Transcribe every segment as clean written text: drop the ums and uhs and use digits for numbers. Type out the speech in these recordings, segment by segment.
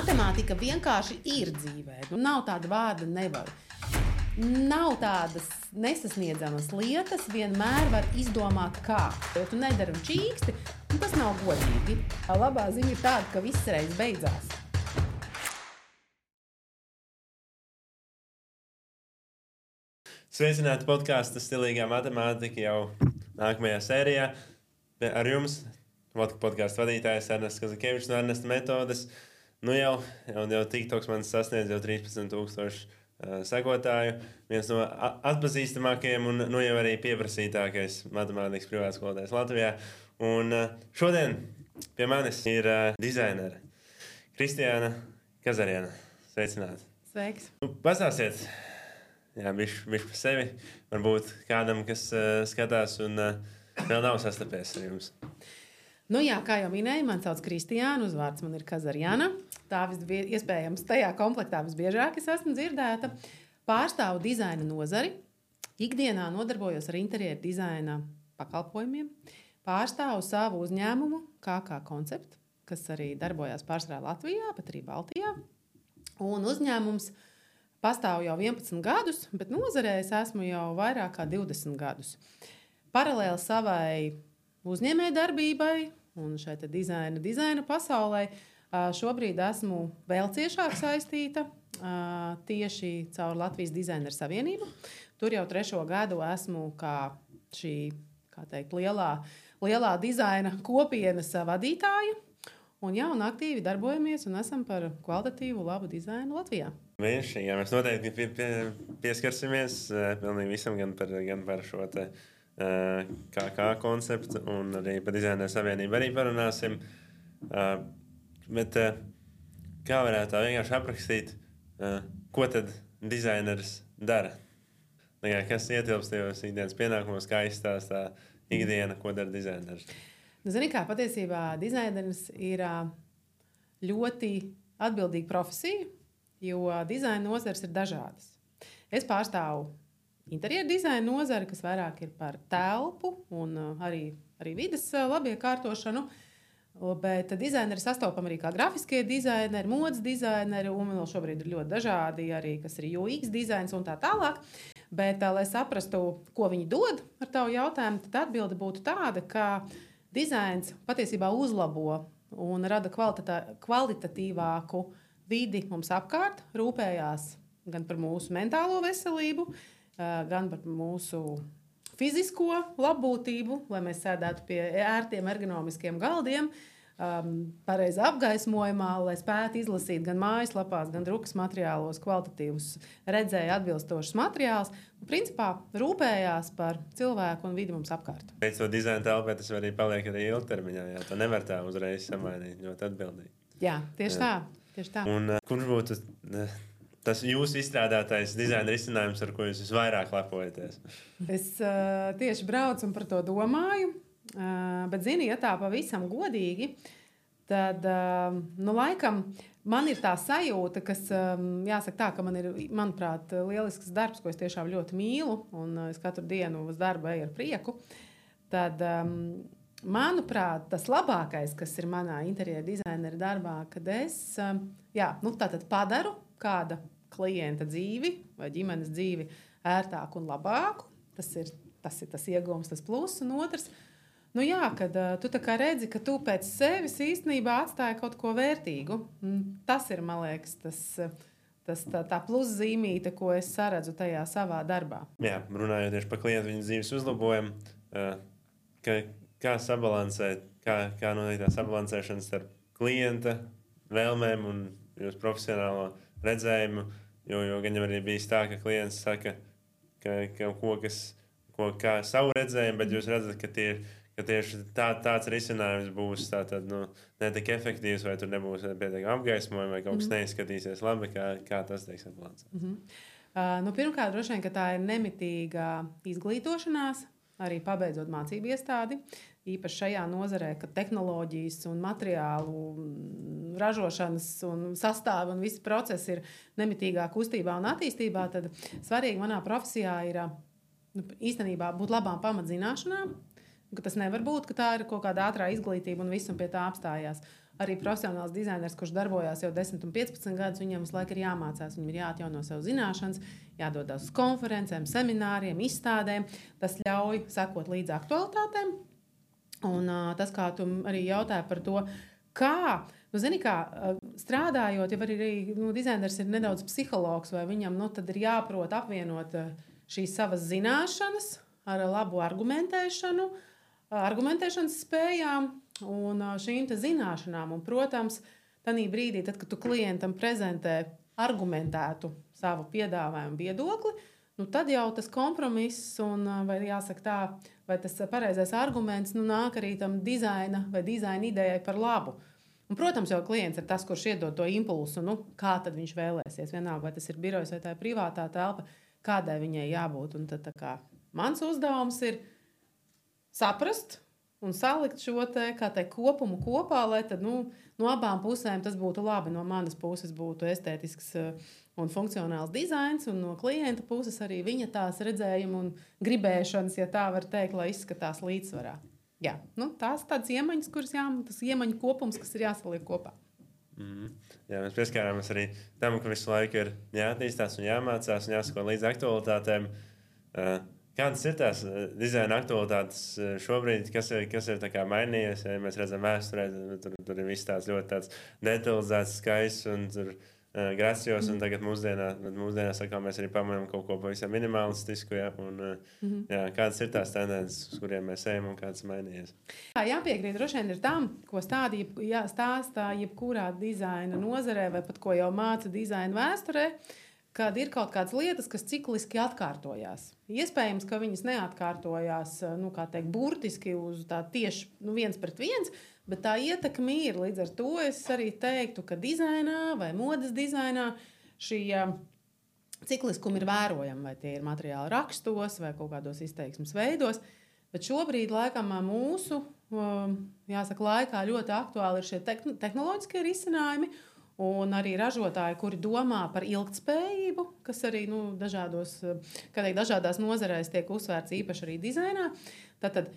Matemātika vienkārši ir dzīvē. Nav tāda vārda nevar. Nav tādas nesasniedzamas lietas, vienmēr var izdomāt kā. Ja tu nedari un čīksti, tas nav godīgi. Labā ziņa ir tāda, ka viss reiz beidzās. Sveicināti podkāstu Stilīgā matemātika jau nākamajā sērijā. Ar jums podkāstu vadītājs Ernests Kazakievičs no Ernesta metodes. Jau TikToks man sasniedz jau 13,000 sekotāju. Viens no atpazīstamākajiem un jau arī pieprasītākais matemātikas privātskolotājs Latvijā. Un šodien pie manis ir dizainere Kristiāna Kazarjana. Sveicināti! Sveiks! Pastāstiet! Bišķi par sevi. Varbūt kādam, kas skatās un vēl nav sastapies ar jums. Kā jau minēju, man sauc Kristiāna, uzvārds man ir Kazarjana. Tā iespējams tajā komplektā visbiežāk es esmu dzirdēta. Pārstāvu dizaina nozari. Ikdienā nodarbojos ar interjeru dizaina pakalpojumiem. Pārstāvu savu uzņēmumu KK Koncept, kas arī darbojās pārsvarā Latvijā, pat arī Baltijā. Un uzņēmums pastāv jau 11 gadus, bet nozarē es esmu jau vairāk kā 20 gadus. Paralēli savai uzņēmējdarbībai un šai dizaina pasaulē šobrīd esmu vēl ciešāk saistīta tieši caur Latvijas Dizaineru Savienību. Tur jau 3. gadu esmu kā šī, lielā dizaina kopienas vadītāja. Un aktīvi darbojamies un esam par kvalitatīvu labu dizainu Latvijā. Vienšķi, mēs noteikti pieskarsimies pilnīgi visam, gan par šo te KK konceptu un arī par Dizaineru Savienību arī parunāsim. Bet kā varētu tā vienkārši aprakstīt, ko tad dizaineris dara? Kas ietilpst tajos ikdienas pienākumos, kā izstāstā ikdiena, ko dara dizaineris? Patiesībā dizaineris ir ļoti atbildīga profesija, jo dizaina nozares ir dažādas. Es pārstāvu interjeru dizaina nozari, kas vairāk ir par telpu un arī vides labiekārtošanu, bet dizaineri sastopam arī kā grafiskie dizaineri, modes dizaineri, un vēl šobrīd ir ļoti dažādi arī, kas ir UX dizains un tā tālāk. Bet, lai saprastu, ko viņi dod ar tavu jautājumu, tad atbilde būtu tāda, ka dizains patiesībā uzlabo un rada kvalitatīvāku vidi mums apkārt, rūpējās gan par mūsu mentālo veselību, gan par mūsu fizisko labbūtību, lai mēs sēdētu pie ērtiem ergonomiskiem galdiem, pareizi apgaismojumā, lai spētu izlasīt gan mājaslapās, gan drukas materiālos kvalitatīvus redzēja atbilstošus materiālus. Principā rūpējās par cilvēku un vidi mums apkārt. Pēc to dizaina telpē tas arī paliek arī ilgtermiņā. To nevar tā uzreiz samainīt, ļoti atbildīgi. Jā, tieši tā. Un kurš būtu tas jūsu izstrādātais dizaina risinājums, ar ko jūs visvairāk lepojaties? Es tieši braucu un par to domāju. Bet, ja tā pavisam godīgi, tad, laikam, man ir tā sajūta, kas, jāsaka tā, ka man ir, manuprāt, lielisks darbs, ko es tiešām ļoti mīlu, un es katru dienu uz darbu eju ar prieku. Tad, manuprāt, tas labākais, kas ir manā interjera dizainera darbā, kad es, tātad padaru kāda klienta dzīvi vai ģimenes dzīvi ērtāku un labāku. Tas ir tas iegūms, tas pluss, un otrs, kad tu tā kā redzi, ka tu pēc sevis īstenībā atstāji kaut ko vērtīgu. Tas ir, man liekas, tā pluszīmīte, ko es saredzu tajā savā darbā. Jā, runājot tieši par klientu viņas dzīves uzlabojumu, kā sabalansēt, kā notiek tā sabalansēšana starp klienta vēlmēm un jūsu profesionālo redzējumu, jo gan jau arī bijis tā, ka klients saka, kā savu redzējumu, bet jūs redzat, ka tieši tāds risinājums būs ne tik efektīvs, vai tur nebūs pietiekami apgaismojumi, vai kaut kas neizskatīsies labi, kā tas tiek sabalansēts. Pirmkārt, droši vien, ka tā ir nemitīga izglītošanās, arī pabeidzot mācību iestādi, īpaši šajā nozarē, ka tehnoloģijas un materiālu ražošanas un sastāvi un visi procesi ir nemitīgā kustībā un attīstībā, tad svarīgi manā profesijā ir īstenībā būt labām pamatzināšanām, ka tas nevar būt, ka tā ir kaut kāda ātrā izglītība un viss un pie tā apstājās. arī profesionāls dizainers, kurš darbojās jau 10 un 15 gadus, viņam visu laiku ir jāmācās, viņam ir jāatjauno savu zināšanas, jādodas uz konferencēm, semināriem, izstādēm. Tas ļauj sekot līdz aktualitātēm. Un tas, kā tu arī jautāji par to, kā, zini, kā strādājot, ja arī dizainers ir nedaudz psihologs, vai viņam tad ir jāprot apvienot šīs savas zināšanas ar labu argumentēšanu, argumentēšanas spējām un šīm te zināšanām. Un, protams, tanī brīdī, tad, kad tu klientam prezentē argumentētu savu piedāvājumu viedokli, tad jau tas kompromiss un, vai jāsaka tā, vai tas pareizais arguments nāk arī tam dizaina vai dizaina idejai par labu. Un, protams, jau klients ir tas, kurš iedod to impulsu, kā tad viņš vēlēsies. Vienalga, vai tas ir birojs vai tā ir privātā telpa, kādai viņai jābūt. Un tad, mans uzdevums ir saprast un salikt šo kopumu kopā, lai tad, no abām pusēm tas būtu labi. No manas puses būtu estētisks un funkcionāls dizains, un no klienta puses arī viņa tās redzējuma un gribēšanas, ja tā var teikt, lai izskatās līdzsvarā. Jā, tās tādas iemaņas, kuras tas iemaņu kopums, kas ir jāsaliek kopā. Jā, mēs pieskārāmies arī tam, ka visu laiku ir jāattīstās un jāmācās un jāsako līdz aktualitātēm. Kādas ir tās dizaina aktualitātes šobrīd, kas ir tā kā mainījies? Ja mēs redzam vēsturē, tur ir viss tāds ļoti tāds detalizēts, skaists un tur gracios, un tagad mūsdienās sakām, mēs arī pamanām kaut ko pavisam minimalistisku, ja, un jā, kādas ir tās tendences, uz kuriem mēs ejam un kādas mainījies? Jāpiekrīt droši vien ir tam, ko stāstā jebkurā dizaina nozarē, vai pat ko jau māca dizaina vēsturē, kad ir kaut kādas lietas, kas cikliski atkārtojās. Iespējams, ka viņas neatkārtojās, burtiski uz tā tieši viens pret viens, bet tā ietekme ir. Līdz ar to es arī teiktu, ka dizainā vai modes dizainā šī cikliskumi ir vērojami, vai tie ir materiāli rakstos vai kaut kādos izteiksmes veidos. Bet šobrīd, laikam, mūsu laikā ļoti aktuāli ir šie tehnoloģiskie risinājumi. Un arī ražotāji, kuri domā par ilgtspējību, kas arī dažādās nozarēs tiek uzsvērts īpaši arī dizainā. Tad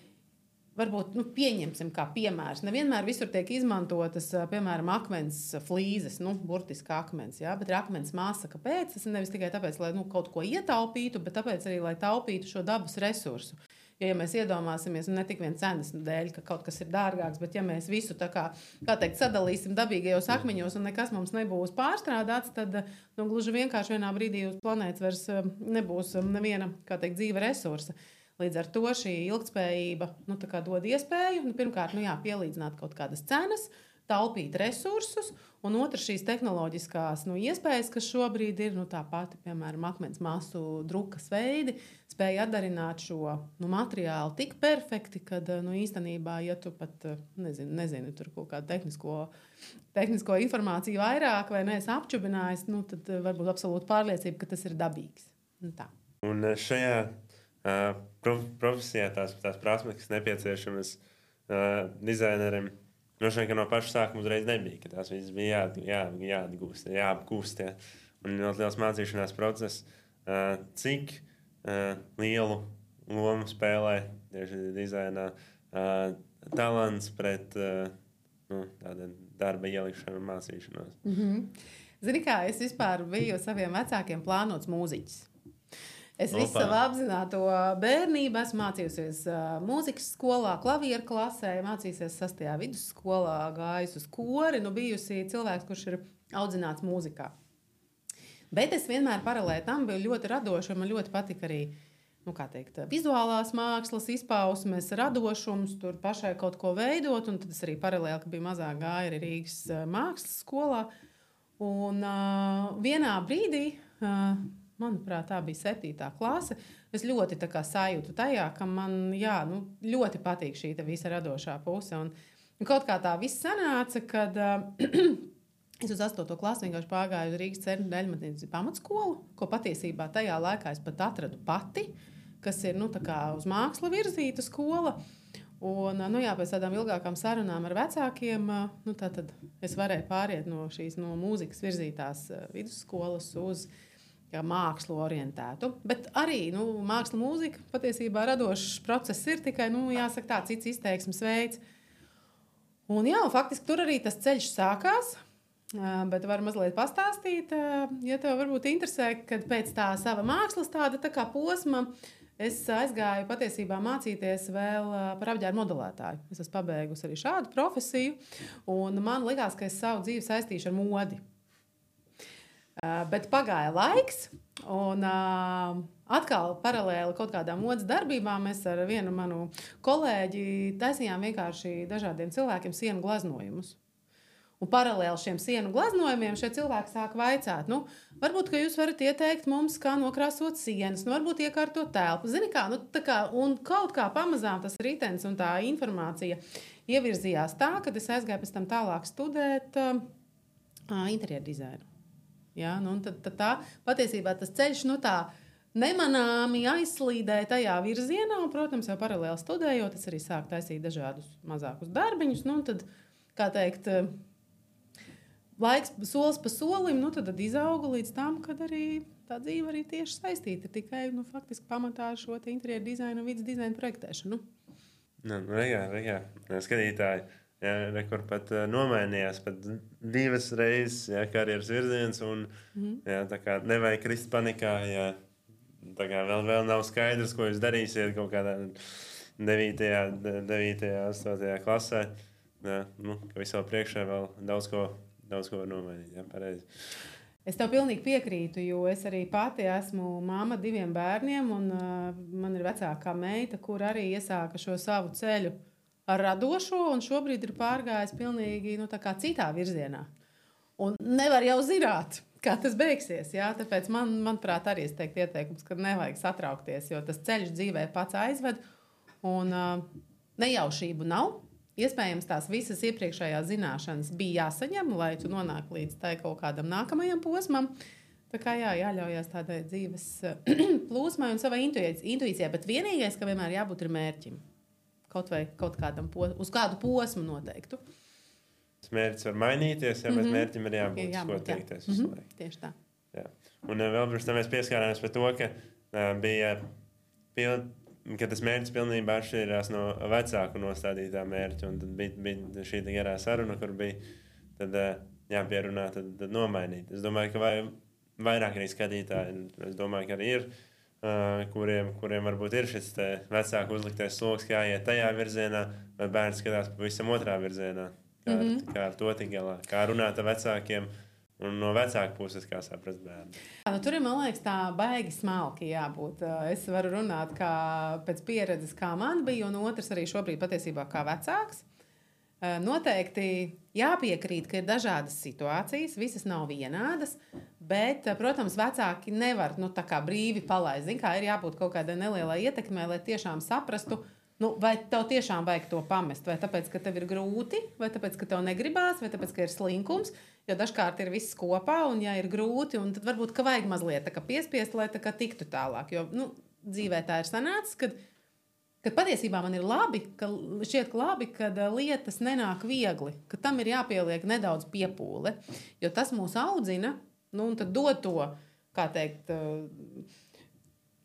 varbūt pieņemsim kā piemērs. Nevienmēr visur tiek izmantotas, piemēram, akmens flīzes, burtiski akmens, ja? Bet ir akmens masa. Kāpēc? Tas nevis tikai tāpēc, lai kaut ko ietaupītu, bet tāpēc arī, lai taupītu šo dabas resursu. Ja mēs iedomāsimies, ne tik vien cenas dēļ, ka kaut kas ir dārgāks, bet ja mēs visu sadalīsim dabīgajos akmeņos un nekas mums nebūs pārstrādāts, tad gluži vienkārši vienā brīdī uz planētas vairs nebūs neviena dzīva resursa. Līdz ar to šī ilgtspējība dod iespēju, pirmkārt, pielīdzināt kaut kādas cenas, taupīt resursus, un otrs šīs tehnoloģiskās iespējas, kas šobrīd ir tā pati, piemēram, akmens masu drukas veidi, spēja atdarināt šo materiālu tik perfekti, kad īstenībā, ja tu pat nezini tur kaut kādu tehnisko informāciju vairāk vai neesi apčubinājis, tad varbūt absolūti pārliecība, ka tas ir dabīgs. Tā. Un šajā profesijā tās prasmes, kas nepieciešamas dizainerim, droši vien, ka no paša sākuma uzreiz nebija, ka tās visas bija jāatgūst, jāapgūst. Ja. Un ļoti liels mācīšanās process. Cik lielu lomu spēlē tieši dizainā talants pret tāda darba ielikšanu un mācīšanos? Zini kā, es vispār biju saviem vecākiem plānots mūziķis. Es visu savu apzināto bērnību esmu mācījusies mūzikas skolā, klavieru klasē, mācījusies 6. vidusskolā, gājusi uz kori, bijusi cilvēks, kurš ir audzināts mūzikā. Bet es vienmēr paralēli tam biju ļoti radoša, man ļoti patika arī, vizuālās mākslas izpausmes, radošums, tur pašai kaut ko veidot, un tad es arī paralēli, ka biju mazāk gāja arī Rīgas mākslas skolā. Un vienā brīdī, manuprāt, tā bija 7. klase. Es ļoti sajūtu tajā, ka man ļoti patīk šī visa radošā puse. Un kaut kā tā viss sanāca, kad es uz 8. klasi vienkārši pārgāju uz Rīgas Cernu Deļmatnīcas pamatskolu, ko patiesībā tajā laikā es pat atradu pati, kas ir uz mākslu virzīta skola. Un, pēc tādām ilgākām sarunām ar vecākiem, tad es varēju pāriet no šīs mūzikas virzītās vidusskolas uz mākslu orientētu. Bet arī māksla mūzika patiesībā radošs process ir tikai, jāsaka tā, cits izteiksmes veids. Un jā, faktiski tur arī tas ceļš sākās. Bet varu mazliet pastāstīt, ja tev varbūt interesē, kad pēc tā sava mākslas tāda tā kā posma es aizgāju patiesībā mācīties vēl par apģērbu modelētāju. Es esmu pabeigusi arī šādu profesiju, un man likās, ka es savu dzīvi saistīšu ar modi. Bet pagāja laiks, un atkal paralēli kaut kādām modes darbībām mēs ar vienu manu kolēģi taisījām vienkārši dažādiem cilvēkiem sienu glaznojumus. Un paralēli šiem sienu glaznojumiem šie cilvēki sāk vaicāt, varbūt, ka jūs varat ieteikt mums, kā nokrāsot sienas, varbūt iekārtot telpu. Zini kā, un kaut kā pamazām tas ritenis un tā informācija ievirzījās tā, kad es aizgāju pēc tam tālāk studēt interjeru dizainu. Ja, tad tā patiesībā tas ceļš tā nemanāmi aizslīdēja tajā virzienā, un, protams, jau paralēli studējot, es arī sāku taisīt dažādus mazākus darbiņus, tad, kā teikt, laiks solis pa solim, tad izauga līdz tam, kad arī tā dzīve arī tieši saistīta tikai, faktiski pamatā šo te interjeru dizainu un vidas dizainu projektēšanu. Regā, skatītāji. Jā, kur pat nomainījās pat 2 reizes karjeras virziens, un jā, tā kā nevajag krist panikā, jā, tā kā vēl nav skaidrs, ko jūs darīsiet kaut kādā 9. 8. klasē. Jā, ka visā priekšā vēl daudz ko nomainīt, jā, pareizi. Es tev pilnīgi piekrītu, jo es arī pati esmu mamma 2 bērniem, un man ir vecākā meita, kur arī iesāka šo savu ceļu ar radošo, un šobrīd ir pārgājis pilnīgi tā kā citā virzienā. Un nevar jau zināt, kā tas beigsies. Jā? Tāpēc manuprāt, arī es teiktu ieteikums, ka nevajag satraukties, jo tas ceļš dzīvē pats aizved, un nejaušību nav. Iespējams, tās visas iepriekšējās zināšanas bija jāsaņem, lai tu nonāk līdz tai kaut kādam nākamajam posmam. Tā kā jāļaujās tādai dzīves plūsmai un savai intuīcijai, bet vienīgais, ka vienmēr jābūt ir mērķim. Kaut vai kaut kādam uz kādu posmu noteiktu. Mērķis var mainīties, bet mērķim ir jābūt, ko teikties uz laiku. Tieši tā. Jā. Un vēl pirms tam mēs pieskārāmies par to, ka ka tas mērķis pilnībā atšķirās no vecāku nostādītā mērķa. Un tad bija šī garā saruna, kur bija tad, jāpierunā, tad nomainīt. Es domāju, ka vairāk arī skatītāji, es domāju, ka arī ir, kuriem varbūt ir šis vecāku uzliktais sloks, kā iet tajā virzienā, vai bērns skatās pavisam otrā virzienā. Kā ar to tik galā, kā runāt ar vecākiem un no vecāku puses, kā saprast bērnu. Tur ir, man liekas, tā baigi smalki jābūt. Es varu runāt pēc pieredzes, kā man bija, un otrs arī šobrīd patiesībā kā vecāks. Noteikti jāpiekrīt, ka ir dažādas situācijas, visas nav vienādas, bet, protams, vecāki nevar tā kā brīvi palaist. Zin, kā ir jābūt kaut kādai nelielai ietekmei, lai tiešām saprastu, vai tev tiešām vajag to pamest, vai tāpēc, ka tev ir grūti, vai tāpēc, ka tev negribās, vai tāpēc, ka ir slinkums, jo dažkārt ir viss kopā, un ja ir grūti, un tad varbūt, ka vajag mazliet tā kā piespiest, lai tā kā tiktu tālāk, jo, dzīvē tā ir sanācis, kad patiesībā man ir labi, šķiet labi, kad lietas nenāk viegli, ka tam ir jāpieliek nedaudz piepūle, jo tas mūs audzina, un tad dod to, kā teikt,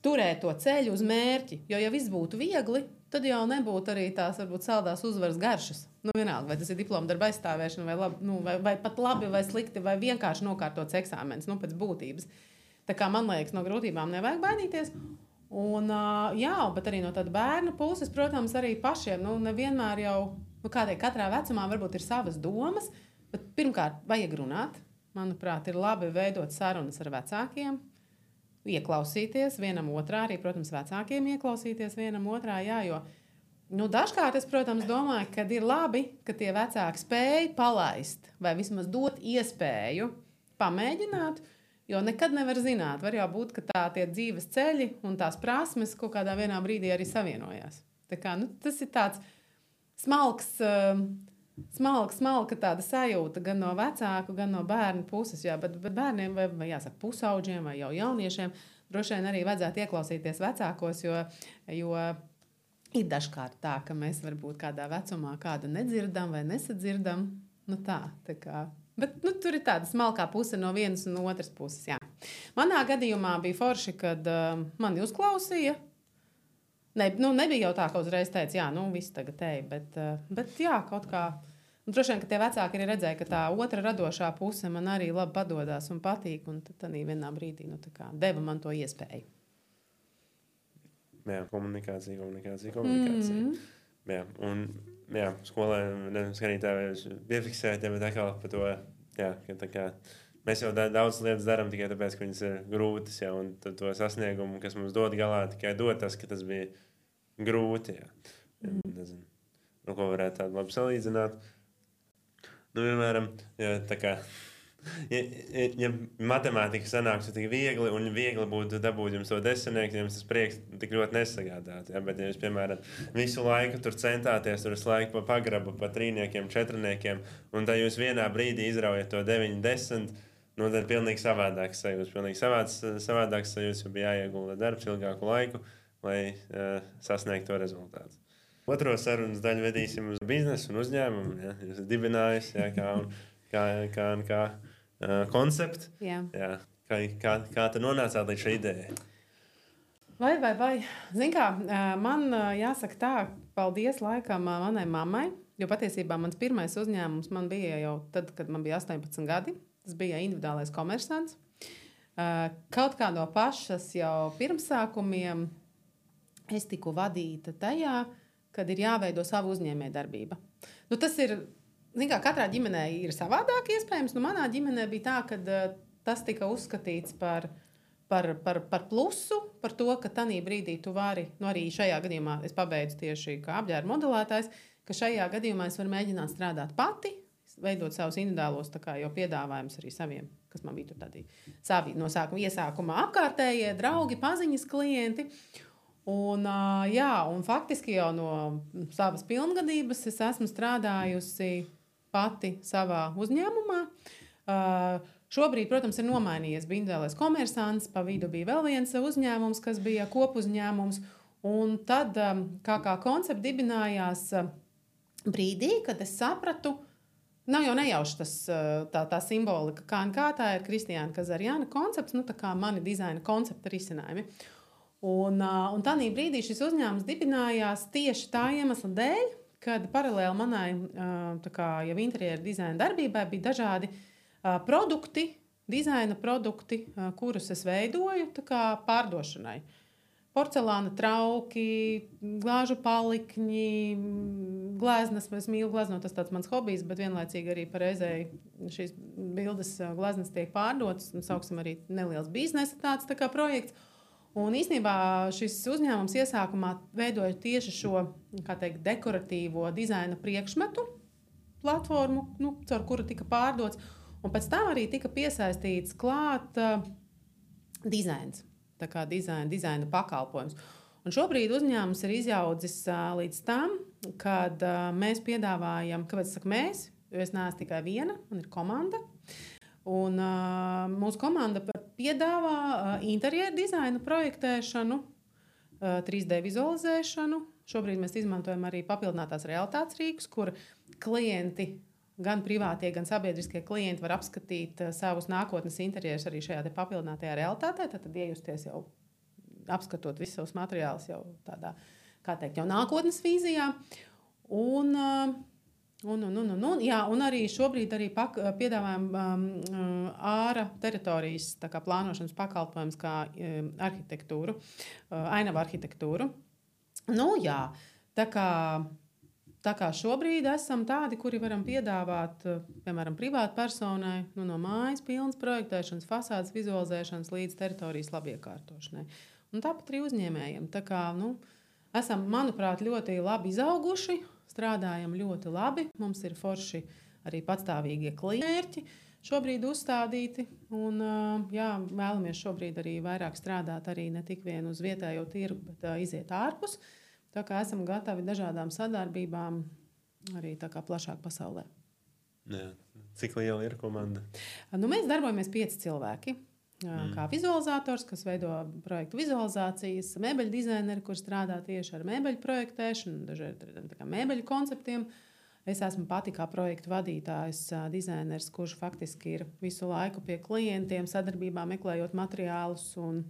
turēt to ceļu uz mērķi, jo ja viss būtu viegli, tad jau nebūtu arī tās varbūt saldās uzvaras garšas. Vienalga, vai tas ir diploma darba aizstāvēšana, vai pat labi, vai slikti, vai vienkārši nokārtots eksāmens, pēc būtības. Tā kā man liekas, no grūtībām nevajag baidīties. Un, bet arī no tāda bērna puses, protams, arī pašiem, nevienmēr jau, katrā vecumā varbūt ir savas domas, bet pirmkārt vajag runāt. Manuprāt, ir labi veidot sarunas ar vecākiem, ieklausīties vienam otrā, arī, protams, vecākiem ieklausīties vienam otrā, jo, dažkārt es, protams, domāju, ka ir labi, ka tie vecāki spēj palaist vai vismaz dot iespēju pamēģināt, jo nekad nevar zināt. Var jau būt, ka tie dzīves ceļi un tās prasmes kaut kādā vienā brīdī arī savienojās. Tā kā, tas ir tāds smalka tāda sajūta gan no vecāku, gan no bērnu puses. Jā, bet bērniem vai jāsaka pusauģiem vai jau jauniešiem droši vien arī vajadzētu ieklausīties vecākos, jo ir dažkārt tā, ka mēs varbūt kādā vecumā kādu nedzirdam vai nesadzirdam. Tā kā. Bet tur ir tāda smalkā puse no vienas un no otras puses. Jā. Manā gadījumā bija forši, kad mani uzklausīja. Nebija jau tā, ka uzreiz teica, jā, viss tagad ej, bet jā, kaut kā Un droši vien, ka tie vecāki arī redzēja, ka tā otra radošā puse man arī labi padodas un patīk. Un tad arī vienā brīdī deva man to iespēju. Jā, komunikācija. Jā, un skolē skatītāji piefiksēja, bet atkal par to, jā, ka tā kā mēs jau daudz lietas darām tikai tāpēc, ka viņas ir grūtas, jā, un to sasniegumu, kas mums dod galā, tikai dod tas, ka tas bija grūti, jā. Nezinu, ko varētu tādu labi salīdzināt. Piemēram, tā kā, ja matemātika sanāks tik viegli, un viegli būtu dabūt jums to desmitnieku, jums tas prieks tik ļoti nesagādāt. Ja? Bet, ja jūs, piemēram, visu laiku tur centāties, tur visu laiku pa pagrabu, pa trīniekiem, četrniekiem, un tad jūs vienā brīdī izraujat to 9-10, tad pilnīgi savādāks sajūts. Pilnīgi savādāks sajūts, jo bija jāiegulda darbs ilgāku laiku, lai sasniegtu to rezultātu. Otro sarunas daļu vedīsim uz biznesu un uzņēmumu. Ja? Jūs esat dibinājis, ja, kā konceptu. Jā. Ja? Kā tu nonācāt līdz šai idejai? Vai. Zini kā, man jāsaka tā, paldies laikam manai mammai, jo patiesībā mans pirmais uzņēmums man bija jau tad, kad man bija 18 gadi. Tas bija individuālais komersants. Kaut kā no pašas jau pirmsākumiem es tiku vadīta tajā, kad ir jāveido savu uzņēmējdarbība. Tas ir, zin kā, katrā ģimenē ir savādāk iespējams. Manā ģimenē bija tā, ka tas tika uzskatīts par plusu, par to, ka tanī brīdī tu vari, arī šajā gadījumā es pabeidzu tieši kā apģērba modelētājs, ka šajā gadījumā es varu mēģināt strādāt pati, veidot savus individuālos jau piedāvājumus arī saviem, kas man bija tur tādi savi no iesākumā apkārtējie draugi, paziņas klienti. Un faktiski jau no savas pilngadības es esmu strādājusi pati savā uzņēmumā. Šobrīd, protams, ir nomainījies. Bija individuālais komersants, pa vidu bija vēl viens uzņēmums, kas bija kopuzņēmums. Un tad kā koncepts dibinājās brīdī, kad es sapratu, nav jau nejauši tā simbolika, kā tā ir Kristiāna Kazarjana koncepts, tā kā mani dizaina koncepta risinājumi. Un tādā brīdī šis uzņēmums dibinājās tieši tā iemesla dēļ, kad paralēli manai jau interjera dizaina darbībai bija dažādi produkti, dizaina produkti, kurus es veidoju pārdošanai. Porcelāna trauki, glāžu palikņi, gleznas. Es mīlu gleznot, tas tāds mans hobijs, bet vienlaicīgi arī pareizēji šīs bildes gleznas tiek pārdotas. Sauksim arī neliels biznesa tāds projekts. Un īstenībā šis uzņēmums iesākumā veidoja tieši šo, kā teikt, dekoratīvo dizaina priekšmetu platformu, caur kuru tika pārdots. Un pēc tam arī tika piesaistīts klāt dizains. Tā kā dizaina pakalpojums. Un šobrīd uzņēmums ir izaudzis līdz tam, kad mēs piedāvājam, kāpēc es saku mēs, jo es neesmu tikai viena, man ir komanda. Un mūsu komanda piedāvā interjeru dizaina projektēšanu, 3D vizualizēšanu. Šobrīd mēs izmantojam arī papildinātās realitātes rīkus, kur klienti, gan privātie, gan sabiedriskie klienti var apskatīt savus nākotnes interjerus arī šajā papildinātajā realitātē. Tad iejusties jau apskatot visus savus materiālus jau tādā, kā teikt, jau nākotnes vīzijā. Un arī šobrīd arī piedāvājam āra teritorijas plānošanas pakalpojumus kā arhitektūru, ainavu arhitektūru. Tā kā šobrīd esam tādi, kuri varam piedāvāt, piemēram, privātu personai, no mājas pilnas projektēšanas, fasādes vizualizēšanas līdz teritorijas labiekārtošanai. Un tāpat arī uzņēmējiem. Tā kā, esam, manuprāt, ļoti labi izauguši, strādājam ļoti labi. Mums ir forši arī patstāvīgie klienti šobrīd uzstādīti. Un, vēlamies šobrīd arī vairāk strādāt arī ne tik vien uz vietējo tirgu, bet iziet ārpus. Tā kā esam gatavi dažādām sadarbībām arī tā kā plašāk pasaulē. Jā. Cik liela ir komanda? Mēs darbojamies 5 cilvēki. Kā vizualizators, kas veido projektu vizualizācijas, mēbeļu dizaineri, kur strādā tieši ar mēbeļu projektēšanu, dažādiem mēbeļu konceptiem. Es esmu pati kā projektu vadītājs, dizainers, kurš faktiski ir visu laiku pie klientiem, sadarbībā meklējot materiālus un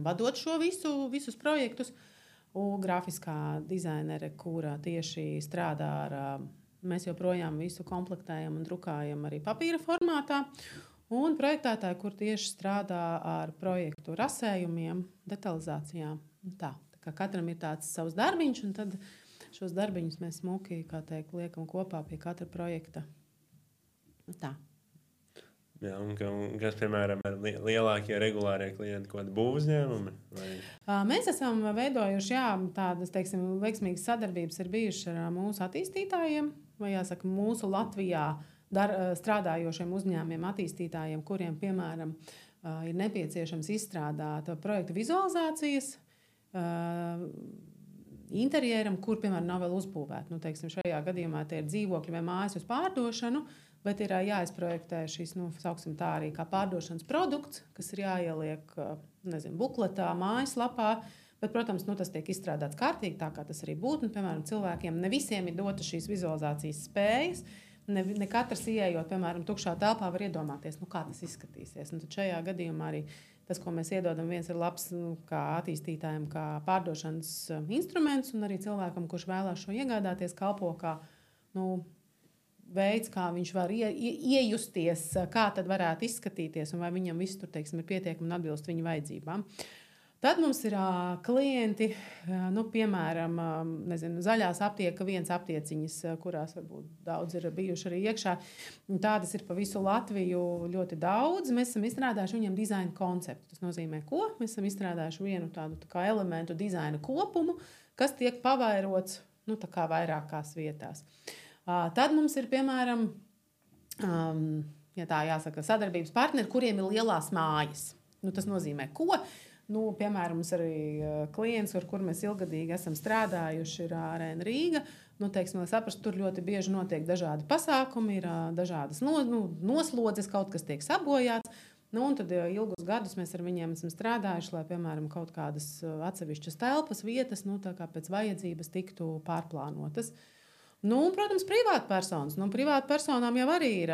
vadot šo visus projektus. Un grafiskā dizainere, kura tieši strādā ar Mēs joprojām visu komplektējam un drukājam arī papīra formātā. Un projektētāji, kur tieši strādā ar projektu rasējumiem, detalizācijām. Tā kā katram ir tāds savs darbiņš, un tad šos darbiņus mēs smuki, kā teikt, liekam kopā pie katra projekta. Tā. Jā, un kas, piemēram, ir lielākie regulārie klienti, ko būvuzņēmumi? Mēs esam veidojuši, tādas, teiksim, veiksmīgas sadarbības ir bijušas ar mūsu attīstītājiem, vai jāsaka, mūsu Latvijā strādājošiem uzņēmumiem, attīstītājiem, kuriem, piemēram, ir nepieciešams izstrādāt projektu vizualizācijas interjeram, kur, piemēram, nav vēl uzbūvēta. Nu, teiksim, šajā gadījumā tie ir dzīvokļi vai mājas uz pārdošanu, bet ir jāizprojektē šis, sauksim tā arī kā pārdošanas produkts, kas ir jāieliek, bukletā, mājaslapā. Bet, protams, tas tiek izstrādāts kārtīgi, tā kā tas arī būtu. Piemēram, cilvēkiem ne visiem ir dotas šīs vizualizācijas spējas. Ne katrs ieejot, piemēram, tukšā telpā var iedomāties, kā tas izskatīsies. Un tad šajā gadījumā arī tas, ko mēs iedodam, viens ir labs kā attīstītājiem, kā pārdošanas instruments, un arī cilvēkam, kurš vēlās šo iegādāties, kalpo kā veids, kā viņš var iejusties, kā tad varētu izskatīties, un vai viņam viss tur, teiksim, ir pietiekami un atbilst viņa vajadzībām. Tad mums ir klienti, piemēram, zaļās aptieka, viens aptieciņas, kurās varbūt daudz ir bijuši arī iekšā. Tādas ir pa visu Latviju ļoti daudz. Mēs esam izstrādājuši viņam dizaina konceptu. Tas nozīmē, ko? Mēs esam izstrādājuši vienu tādu kā elementu dizaina kopumu, kas tiek pavairots tā kā vairākās vietās. Tad mums ir, piemēram, ja tā jāsaka, sadarbības partneri, kuriem ir lielās mājas. Tas nozīmē, ko? Piemēram, mums arī klients, ar kur mēs ilgadīgi esam strādājuši, ir Arēna Rīga. Teiksim, lai saprastu, tur ļoti bieži notiek dažādi pasākumi, ir dažādas noslodzes, kaut kas tiek sabojāts. Un tad ilgus gadus mēs ar viņiem esam strādājuši, lai, piemēram, kaut kādas atsevišķas telpas vietas, tā kā pēc vajadzības tiktu pārplānotas. Protams, privātpersonas. Privātpersonām jau arī ir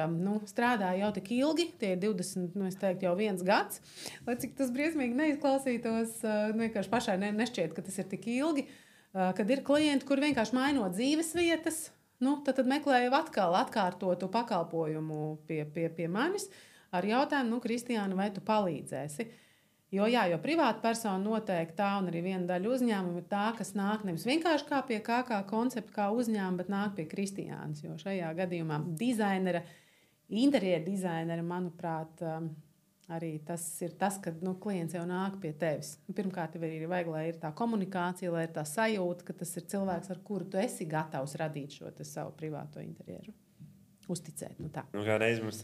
strādāja jau tik ilgi, tie ir 20, es teiktu, jau 1 gads. Lai cik tas briesmīgi neizklausītos, vienkārši pašai nešķiet, ka tas ir tik ilgi, kad ir klienti, kur vienkārši mainot dzīves vietas, tad meklēju atkal atkārtotu pakalpojumu pie manis ar jautājumu, Kristiāna, vai tu palīdzēsi? Jo privāta persona noteikti tā, un arī viena daļa uzņēmuma ir tā, kas nāk nevis vienkārši kā pie kā koncepta, kā uzņēmuma, bet nāk pie Kristiānas. Jo šajā gadījumā interjera dizainera, manuprāt, arī tas ir tas, kad klients jau nāk pie tevis. Pirmkārt, tev arī vajag, lai ir tā komunikācija, lai ir tā sajūta, ka tas ir cilvēks, ar kuru tu esi gatavs radīt šo savu privāto interjeru. Uzticēt. Kādreiz mums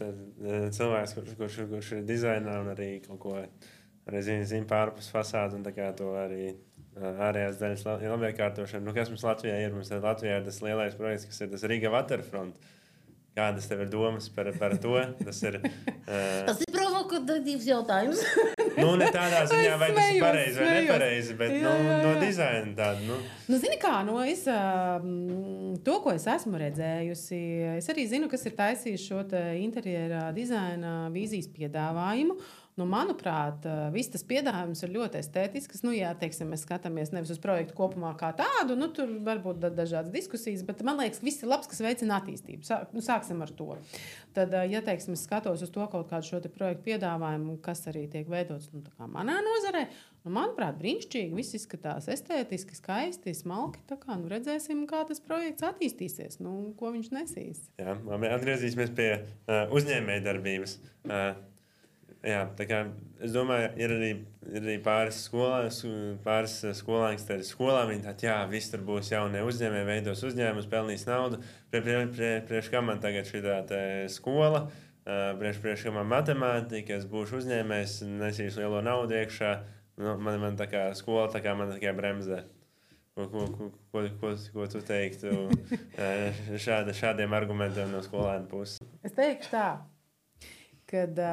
cilvēks, kurš ir dizainā un arī kaut ko arī zina pārpus fasādu un tā kā to arī ārējās daļas labiekārtošanu. Kas mums Latvijā ir? Mums Latvijā ir tas lielais projekts, kas ir tas Riga Waterfront. Kādas tev ir domas par to? Tas ir provokatīvs jautājums. Ne tādā ziņā, vai tas ir pareizi vai nepareizi, bet no dizaina tāda. Zini kā, to, ko es esmu redzējusi, es arī zinu, kas ir taisījis šo interjera dizaina vīzijas piedāvājumu. Manuprāt, viss tas piedāvājums ir ļoti estētisks. Ja teiksim, mēs skatāmies nevis uz projektu kopumā kā tādu, tur varbūt dažādas diskusijas, bet man liekas, viss ir labs, kas veicina attīstību. Sāksim ar to. Tad, ja teiksim, es skatos uz to kaut kādu šo projektu piedāvājumu, kas arī tiek veidots tā kā manā nozarē, manuprāt, brīnišķīgi, viss izskatās estētiski, skaisti, smalki. Tā kā redzēsim, kā tas projekts attīstīsies, ko viņš nesīs. Jā, labi, atgriezīsimies pie uzņēmējdarbības. Jā, tā kā es domāju, ir arī pāris skolāni, kas ir skolā. Viņi tādi, viss tur būs jaunie uzņēmēji, veidos uzņēmumus, pelnīs naudu. Priekš kā man tagad šī skola, priekš kā man matemātika, es būšu uzņēmējs, nesīšu lielo naudu iekšā. Man tā kā skola, tā kā man tikai bremzē. Ko tu teiktu šādiem argumentiem no skolēna puses? Es teikšu tā, kad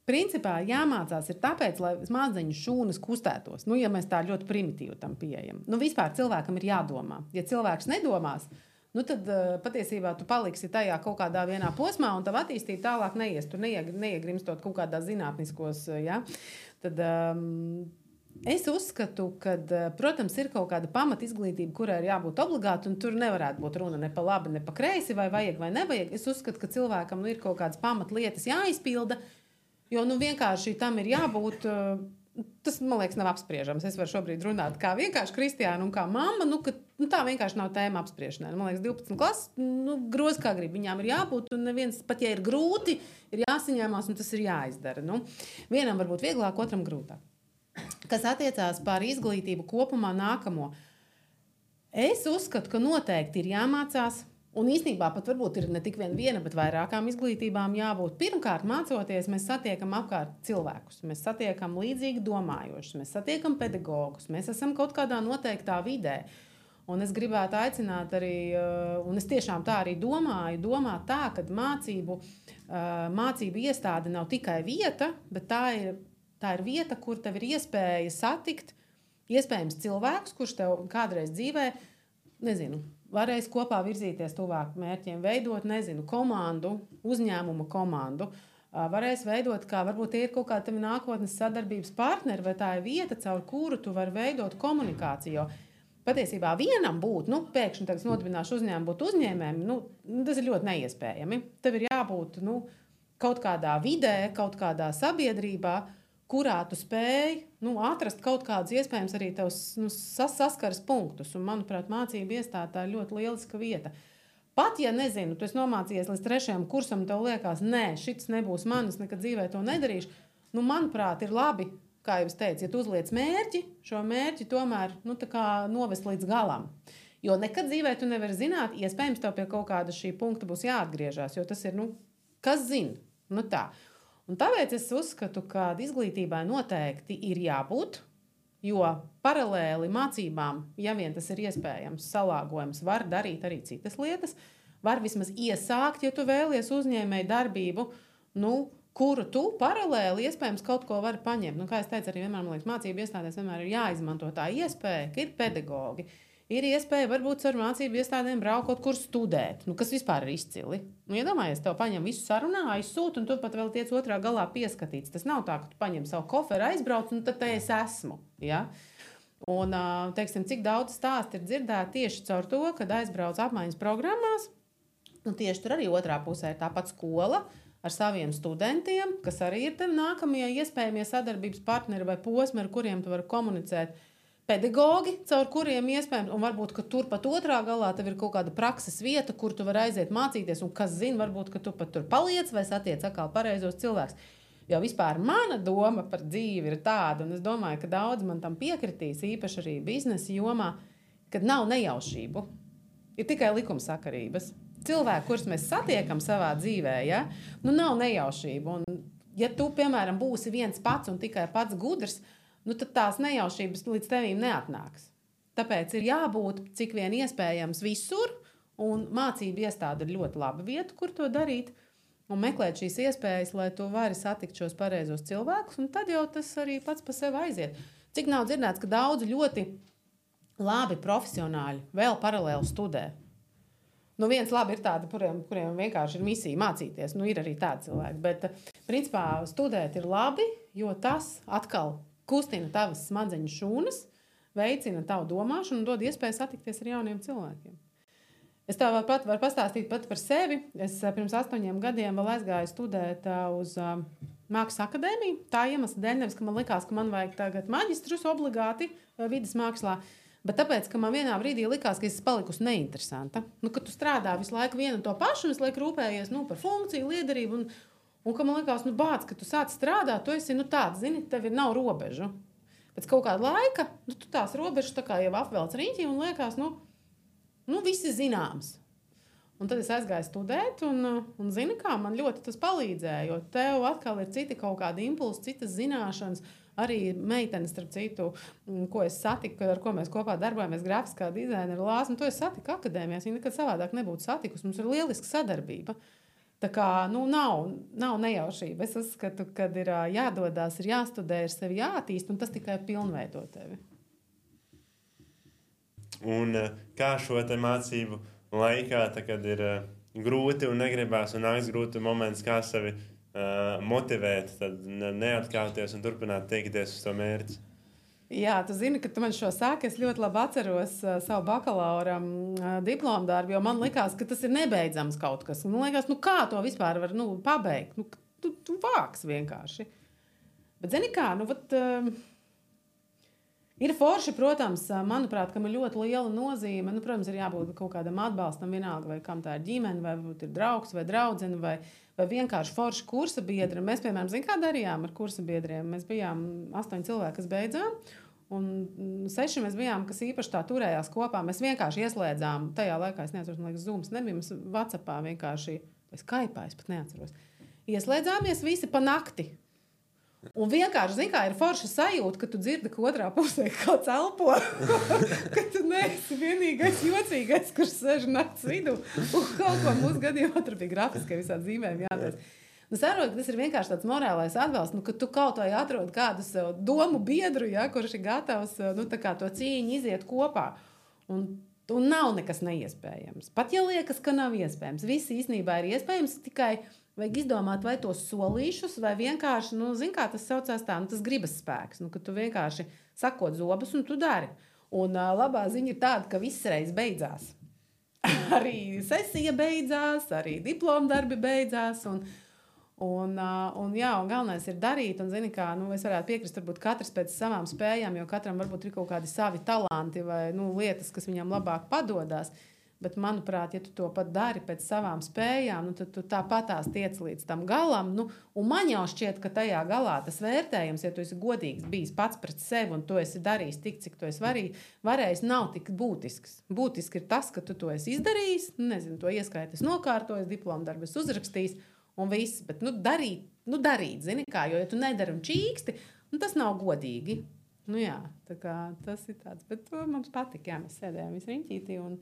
principā jāmācās ir tāpēc, lai smadzeņu šūnas kustētos. Ja mēs tā ļoti primitīvi tam pieejam. Vispār cilvēkam ir jādomā. Ja cilvēks nedomās, tad patiesībā tu paliksi tajā kaut kādā vienā posmā un tavu attīstību tālāk neies. Tu neiegrimstot kaut kādā zinātniskos, ja? Tad Es uzskatu, ka, protams, ir kaut kāda pamata izglītība, kurai ir jābūt obligāti, un tur nevarētu būt runa ne pa labi, ne pa kreisi, vai vajag vai nevajag. Es uzskatu, ka cilvēkam ir kaut kādas pamatlietas jāizpilda, jo vienkārši tam ir jābūt. Tas, man liekas, nav apspriežams. Es varu šobrīd runāt kā vienkārši kristiāna un kā mamma. Tā vienkārši nav tēma apspriešanai. Man liekas, 12 klases groz kā grib. Viņām ir jābūt, un neviens, pat ja ir grūti, ir jāsaņemās, un tas ir jāizdara. Vienam varbūt vieglāk, otram grūtāk. Kas attiecās par izglītību kopumā nākamo. Es uzskatu, ka noteikti ir jāmācās, un īstenībā pat varbūt ir ne tik viena, bet vairākām izglītībām jābūt. Pirmkārt, mācoties, mēs satiekam apkārt cilvēkus, mēs satiekam līdzīgi domājošus, mēs satiekam pedagogus, mēs esam kaut kādā noteiktā vidē. Un es gribētu aicināt arī, un es tiešām tā arī domāt tā, ka mācību iestāde nav tikai vieta, bet tā ir vieta, kur tev ir iespēja satikt iespējams cilvēkus, kurš tev kādreiz dzīvē, varēs kopā virzīties tuvāk mērķiem, veidot, komandu, uzņēmuma komandu. Varēs veidot, kā varbūt tie ir kaut kādi tavi nākotnes sadarbības partneri, vai tā ir vieta, caur kuru tu vari veidot komunikāciju. Patiesībā vienam būt, pēkšņi tagad nodibināšu uzņēmumu, būt uzņēmējiem, tas ir ļoti neiespējami. Tev ir jābūt kaut kādā vidē, kaut kādā sabiedrībā, kurā tu spēj atrast kaut kādus iespējams arī tavs saskares punktus. Un, manuprāt, mācību iestāde tā ir ļoti lieliska vieta. Pat, ja tu esi nomācījies līdz 3. kursam, tev liekas, nē, šis nebūs manis, nekad dzīvē to nedarīšu. Manuprāt, ir labi, kā jau es teicu, ja tu uzliec mērķi, šo mērķi tomēr novest līdz galam. Jo nekad dzīvē tu nevari zināt, iespējams, tev pie kaut kāda šī punkta būs jāatgriežas, jo tas ir, kas zina, tā. Un tāpēc es uzskatu, ka izglītībai noteikti ir jābūt, jo paralēli mācībām, ja vien tas ir iespējams, salāgojums, var darīt arī citas lietas, var vismaz iesākt, ja tu vēlies uzņēmēju darbību, kuru tu paralēli iespējams kaut ko vari paņemt. Kā es teicu, arī vienmēr, man liekas, mācību iestādēs vienmēr ir jāizmanto tā iespēja, ka ir pedagogi. Ir iespēja varbūt ar mācību iestādēm braukt kaut kur studēt, kas vispār ir izcili. Iedomājies, tev paņem visu sarunā, aizsūt, un tu pat vēl tiec otrā galā pieskatīts. Tas nav tā, ka tu paņem savu koferu, aizbrauc, un tad te es esmu. Ja? Un, cik daudz stāstu ir dzirdēti tieši caur to, kad aizbrauc apmaiņas programmās, un tieši tur arī otrā pusē ir tāpat skola ar saviem studentiem, kas arī ir tev nākamie iespējamie sadarbības partneri vai posmi, ar kuriem tu vari komunicēt. Pedagogi, caur kuriem iespējams, un varbūt, ka tur pat otrā galā tev ir kaut kāda prakses vieta, kur tu vari aiziet mācīties, un kas zina, varbūt, ka tu pat tur paliec vai satiec atkal pareizos cilvēkus. Jo vispār mana doma par dzīvi ir tāda, un es domāju, ka daudz man tam piekritīs, īpaši arī biznesa jomā, kad nav nejaušību. Ir tikai likumsakarības. Cilvēki, kurus mēs satiekam savā dzīvē, nav nejaušību. Un, ja tu, piemēram, būsi viens pats un tikai pats gudrs, tad tās nejaušības līdz tevīm neatnāks. Tāpēc ir jābūt cik vien iespējams visur, un mācību iestāde ir ļoti laba vieta, kur to darīt, un meklēt šīs iespējas, lai tu vari satikt šos pareizos cilvēkus, un tad jau tas arī pats pa sevi aiziet. Cik nav dzirdēts, ka daudzi ļoti labi profesionāļi vēl paralēli studē. Viens labi ir tādi, kuriem vienkārši ir misija mācīties, ir arī tādi cilvēki, bet principā studēt ir labi, jo tas atkal kustina tavas smadzeņu šūnas, veicina tavu domāšanu un dod iespēju satikties ar jauniem cilvēkiem. Es tev varu pastāstīt pat par sevi. Es pirms 8 gadiem vēl aizgāju studēt uz Mākslas akadēmiju. Tā iemesla dēļ, nevis, ka man likās, ka man vajag tagad maģistrus obligāti vidas mākslā, bet tāpēc, ka man vienā brīdī likās, ka es palikusi neinteresanta. Kad tu strādā visu laiku vienu un to pašu, visu laiku rūpējies par funkciju, liederību un ka man likās, bāc, ka tu sāc strādāt, tu esi, tāds, zini, tev nav robežu. Pēc kaut kāda laika, tu tās robežas tā kā jau apvelc riņķī un liekas, viss ir zināms. Un tad es aizgāju studēt un zini kā, man ļoti tas palīdzēja, jo tev atkal ir citi kaut kādi impulsi, citas zināšanas, arī meitenes, starp citu, ko es satiku, ar ko mēs kopā darbojamies, grafiskā dizainera Lāsma, to es satiku akadēmijās, viņa nekad savādāk nebūtu satikusi, mums ir lieliska sadarbība. Tā kā, nav nejaušība. Es uzskatu, ka ir jādodās, ir jāstudē, ir sevi jāattīst, un tas tikai pilnveido tevi. Un kā šo te mācību laikā, kad ir grūti un negribās un nāks grūti moments, kā sevi motivēt, tad neatkāpties un turpināt tiekties uz to mērķi? Jā, tu zini, ka tu man šo sāki. Es ļoti labi atceros savu bakalaura diplomu darbu, jo man likās, ka tas ir nebeidzams kaut kas. Man liekas, kā to vispār var pabeigt? Tu vāks vienkārši. Bet zini kā, ir forši, protams, manuprāt, kam ir ļoti liela nozīme. Protams, ir jābūt kaut kādam atbalstam, vienalga, vai kam tā ir ģimene, vai ir draugs, vai draudzene, vai vienkārši forši kursa biedri. Mēs, piemēram, kā darījām ar kursa biedriem. Mēs bijām 8 cilvēki, kas beidzām, un 6 mēs bijām, kas īpaši tā turējās kopā. Mēs vienkārši ieslēdzām, tajā laikā, es neatceros, man liekas, Zooms nebija, mēs WhatsAppā vienkārši, vai Skype'ā, es pat neatceros. Ieslēdzāmies visi pa nakti. Un vienkārši, zini, kā ir forša sajūta, ka tu dzirdi, ka otrā pusē kāds elpo, ka tu neesi vienīgais jocīgais, kurš sēž nakts vidū. Un kaut ko mūsu gadījumā tur bija grafiskai visādi zīmējumi jātais. Saprotu, ka tas ir vienkārši tāds morālais atbalsts, ka tu kaut vai atrod kādu sev domu biedru, kurš ir gatavs to cīņu iziet kopā. Un nav nekas neiespējams. Pat ja liekas, ka nav iespējams. Viss īstenībā ir iespējams, tikai vajag izdomāt vai tos solīšus, vai vienkārši, zini, kā tas saucās tā, tas gribas spēks, ka tu vienkārši sakot zobus un tu dari. Un labā ziņa ir tāda, ka viss reiz beidzās. Arī sesija beidzās, arī diplomdarbi beidzās, un galvenais ir darīt, un zini, kā, es varētu piekrist, varbūt katrs pēc savām spējām, jo katram varbūt ir kaut kādi savi talanti vai, lietas, kas viņam labāk padodās. Bet, manuprāt, ja tu to pat dari pēc savām spējām, tad tu tāpatās tiec līdz tam galam. Un man jau šķiet, ka tajā galā tas vērtējums, ja tu esi godīgs bijis pats pret sevi un tu esi darījis tik, cik tu esi varējis, nav tik būtisks. Būtiski ir tas, ka tu to esi izdarījis, to ieskaitis nokārtojis, diplomdarbu esi uzrakstījis un viss. Bet darīt, zini kā, jo ja tu nedari un čīksti, tas nav godīgi. Jā, tā kā tas ir tāds. Bet mums patika, mēs sēdējām visi riņķītī un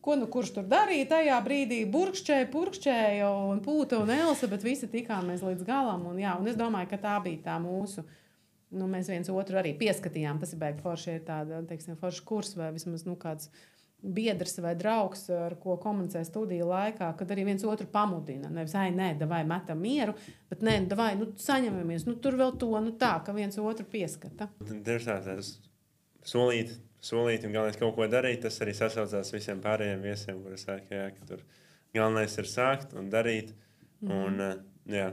kurš tur darīja tajā brīdī, purkšķēja un Pūta un Elsa, bet visi tikāmies līdz galam. Un es domāju, ka tā bija tā mūsu, mēs viens otru arī pieskatījām. Tas ir baigi forši, ir tāda, forši kurs vai vismaz, kāds biedrs vai draugs, ar ko komunicē studiju laikā, kad arī viens otru pamudina. Nevis, davai metam mieru, bet davai, saņemamies, tur vēl to, tā, ka viens otru pieskata. Tieši tāds solīt un galvenais kaut ko darīt, tas arī sasaucās visiem pārējiem viesiem, kuri saka, ka tur galvenais ir sākt un darīt. Un,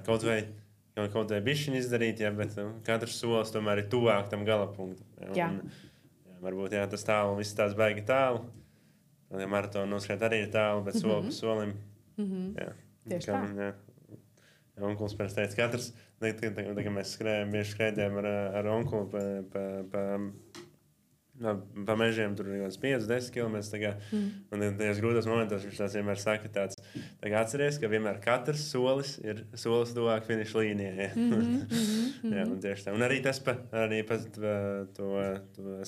kaut vai bišķiņu izdarīt, bet katrs solis tomēr ir tuvāk tam galapunktam. Varbūt tas tālu, viss tās baigi tālu. Maratonu noskriet arī ir tālu, bet soli pa solim. Tieši tā. Onkulis pēc teica, katrs, tagad mēs bieži skrējām ar onkuli pa mežiem, tur ir 5-10 km. Un tajos grūtos momentos viņš tās vienmēr saka tāds, atceries, ka vienmēr katrs solis ir solis tuvāk finiša līnijai. Un tieši tā. Un arī tas pa to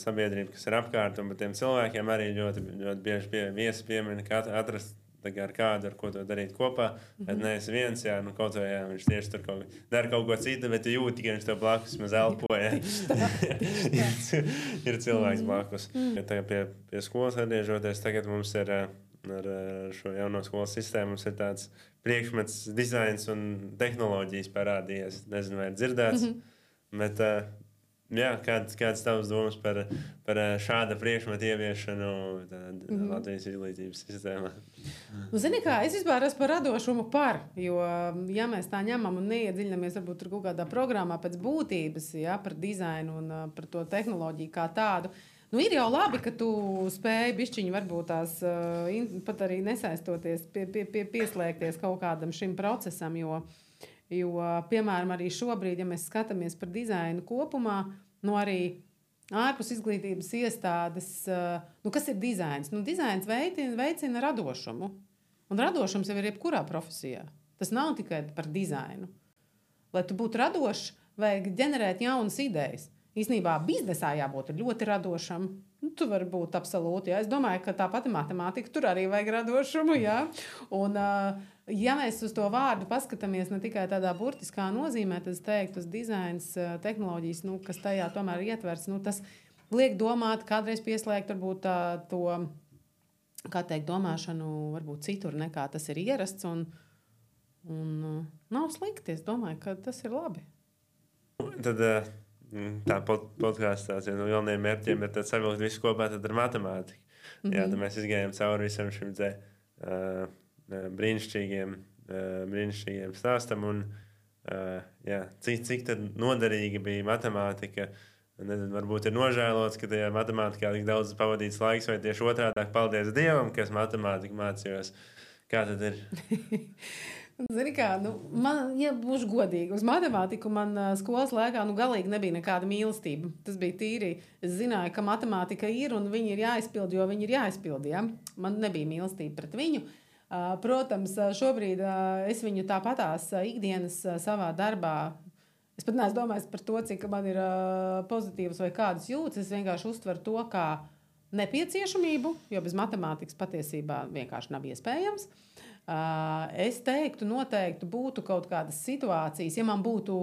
sabiedrību, kas ir apkārt, un par tiem cilvēkiem arī ļoti, ļoti bieži viesi piemina, ka atrast ar kādu, ar ko to darīt kopā. Bet neesi viens, kaut vai viņš tieši tur dara kaut ko citu, bet tu jūti, ka viņš tev blakus maz elpoja. Ir cilvēks blakus. Tagad pie skolas atgriežoties, tagad mums ir ar šo jauno skolas sistēmu, mums ir tāds priekšmets dizains un tehnoloģijas parādījies. Nezinu, vai ir dzirdēts, bet kādas tavas domas par šāda priekšmeta ieviešanu Latvijas izglītības sistēmā? Zini kā, es vispār esmu par radošumu jo, ja mēs tā ņemam un neiedziļinamies varbūt tur kaut kādā programmā pēc būtības, par dizainu un par to tehnoloģiju kā tādu, ir jau labi, ka tu spēji bišķiņi varbūt tās pat arī nesaistoties, pieslēgties kaut kādam šim procesam, jo, piemēram, arī šobrīd, ja mēs skatāmies par dizainu kopumā, arī ārpus izglītības iestādes, kas ir dizains? Dizains veicina radošumu. Un radošums jau ir jebkurā profesijā. Tas nav tikai par dizainu. Lai tu būtu radošs, vajag ģenerēt jaunas idejas. Īstenībā biznesā jābūt ļoti radošam. Tu vari būt absolūti. Es domāju, ka tā pati matemātika tur arī vajag radošumu. Un, ja mēs uz to vārdu paskatāmies ne tikai tādā burtiskā nozīmē, tad es teiktu, tas dizains, tehnoloģijas, kas tajā tomēr ietverts, tas liek domāt, kādreiz pieslēgt varbūt to, kā teikt, domāšanu varbūt citur nekā tas ir ierasts. Un nav slikti. Es domāju, ka tas ir labi. Tad tā podkāstā viens no galvenajiem mērķiem ir savilkt visu kopā ar matemātiku. Jā, tad mēs izgājām cauri visam šim brīnišķīgiem stāstam. Un, jā, cik tad noderīga bija matemātika. Nezinu, varbūt ir nožēlots, ka tajā matemātikā tik daudz pavadīts laiks, vai tieši otrādāk paldies Dievam, ka es matemātiku mācījos. Kā tad ir? Zini kā, man, ja būšu godīgi, uz matemātiku man skolas laikā galīgi nebija nekāda mīlestība. Tas bija tīri. Es zināju, ka matemātika ir un viņi ir jāizpild, jo viņi ir jāizpild. Ja? Man nebija mīlestība pret viņu. Protams, šobrīd es viņu tāpatās ikdienas savā darbā. Es pat neesmu domājis par to, cik man ir pozitīvas vai kādas jūtas. Es vienkārši uztveru to kā nepieciešamību, jo bez matemātikas patiesībā vienkārši nav iespējams. Es teiktu, noteikti būtu kaut kādas situācijas, ja man būtu,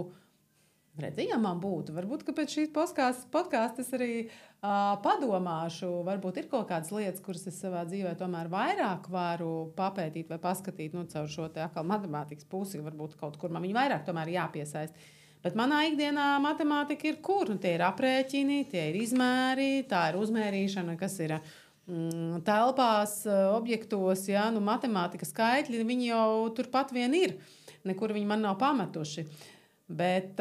varbūt, ka pēc šīs podkāsta es arī padomāšu, varbūt ir kaut kādas lietas, kuras es savā dzīvē tomēr vairāk varu papētīt vai paskatīt, caur šo te atkal matemātikas pusi, varbūt kaut kur man viņu vairāk tomēr jāpiesaist. Bet manā ikdienā matemātika ir kur? Tie ir aprēķini, tie ir izmēri, tā ir uzmērīšana, kas ir telpās, objektos, ja, matemātikas skaitļi, viņi jau turpat vien ir. Nekur viņi man nav pametuši. Bet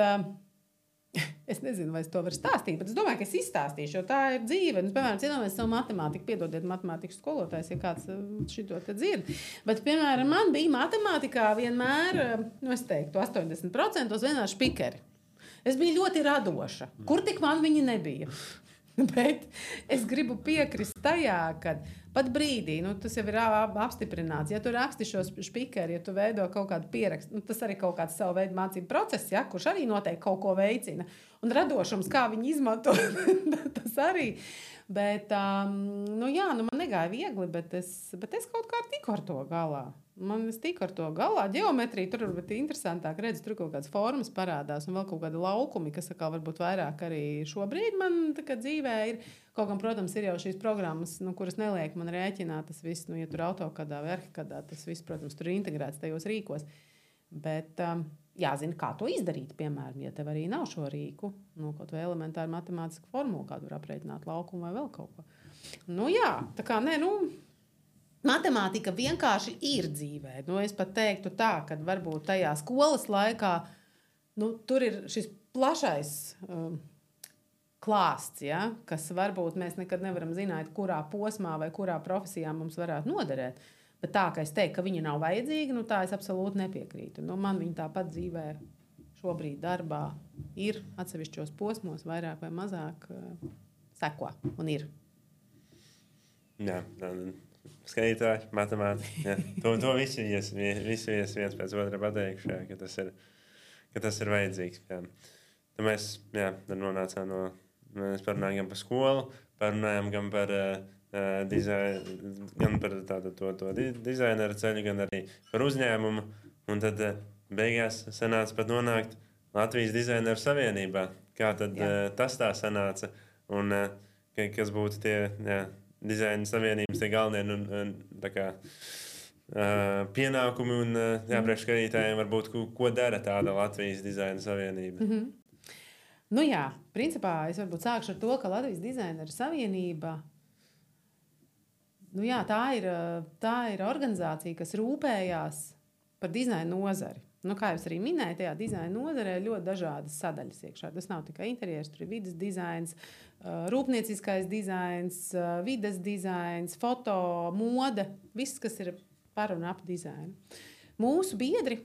es nezinu, vai es to varu stāstīt, bet es domāju, ka es izstāstīšu, jo tā ir dzīve. Piemēram, cienāmies savu matemātiku, piedodiet matemātikas skolotājs, ja kāds šito te dzird. Bet, piemēram, man bija matemātikā vienmēr, es teiktu, 80% vienmēr špikeri. Es biju ļoti radoša. Kur tik man viņi nebija? Bet es gribu piekrist tajā, ka pat brīdī, tas jau ir apstiprināts, ja tu raksti šo špikeri, ja tu veido kaut kādu pierakstu, tas arī kaut kāds savu veidu mācību process, ja, kurš arī noteikti kaut ko veicina. Un radošums, kā viņi izmanto, tas arī. Bet, man negāja viegli, bet es kaut kā tiku ar to galā. Es tiku ar to galā. Ģeometrija tur varbūt interesantāk redz, tur kaut kādas formas parādās un vēl kaut kādi laukumi, kas varbūt vairāk arī šobrīd man dzīvē ir. Kaut gan, protams, ir jau šīs programmas, kuras neliek man rēķināt tas viss, ja tur AutoCAD vai Archicad, tas viss, protams, tur ir integrēts tajos rīkos. Bet jāzina, kā to izdarīt, piemēram, ja tev arī nav šo rīku, kaut vai elementāru matemātisku formulu, kādu var aprēķināt laukumu vai vēl kaut ko. Tā kā matemātika vienkārši ir dzīvē. Es pat teiktu tā, ka varbūt tajā skolas laikā tur ir šis plašais klāsts, ja, kas varbūt mēs nekad nevaram zināt, kurā posmā vai kurā profesijā mums varētu noderēt. Bet tā, ka es teiktu, ka viņa nav vajadzīga, tā es absolūti nepiekrītu. Man viņa tāpat dzīvē šobrīd darbā ir atsevišķos posmos, vairāk vai mazāk seko un ir. Jā, skaitītāji, matemātika. To visi viens pēc otra pateikšu, ka tas ir vajadzīgs. Jā. Tad mēs nonācām mēs parunājām gan par skolu, parunājām gan par to dizaineru ceļu, gan arī par uzņēmumu. Un tad beigās sanāca pat nonākt Latvijas Dizaineru Savienībā. Kā tad tas tā sanāca? Un kas būtu tie Dizaina Savienības tie galvenie pienākumi un priekšskatītājiem varbūt, ko dara tāda Latvijas Dizaina Savienība? Mm-hmm. Principā es varbūt sākšu ar to, ka Latvijas Dizaineru Savienība tā ir organizācija, kas rūpējās par dizaina nozari. Kā jau es arī minēju, tajā dizaina nozarē ir ļoti dažādas sadaļas iekšā. Tas nav tikai interjers, tur ir vides dizains, rūpnieciskais dizains, vides dizains, foto, mode, viss, kas ir par un ap dizainu. Mūsu biedri,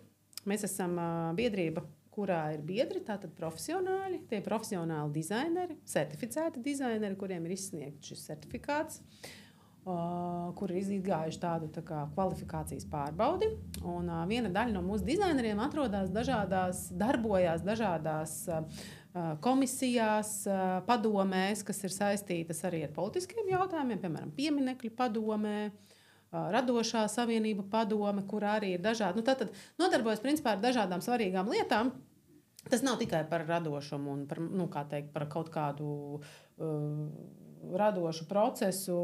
mēs esam biedrība, kurā ir biedri, tātad profesionāļi, tie profesionāli dizaineri, certificēti dizaineri, kuriem ir izsniegts šis certifikāts, kur ir izgājuši tādu kvalifikācijas pārbaudi. Un viena daļa no mūsu dizaineriem darbojās dažādās komisijās, padomēs, kas ir saistītas arī ar politiskiem jautājumiem, piemēram, pieminekļu padomē, radošā savienība padome, kur arī ir dažādi. Tātad nodarbojas principā ar dažādām svarīgām lietām. Tas nav tikai par radošumu un par, par kaut kādu radošu procesu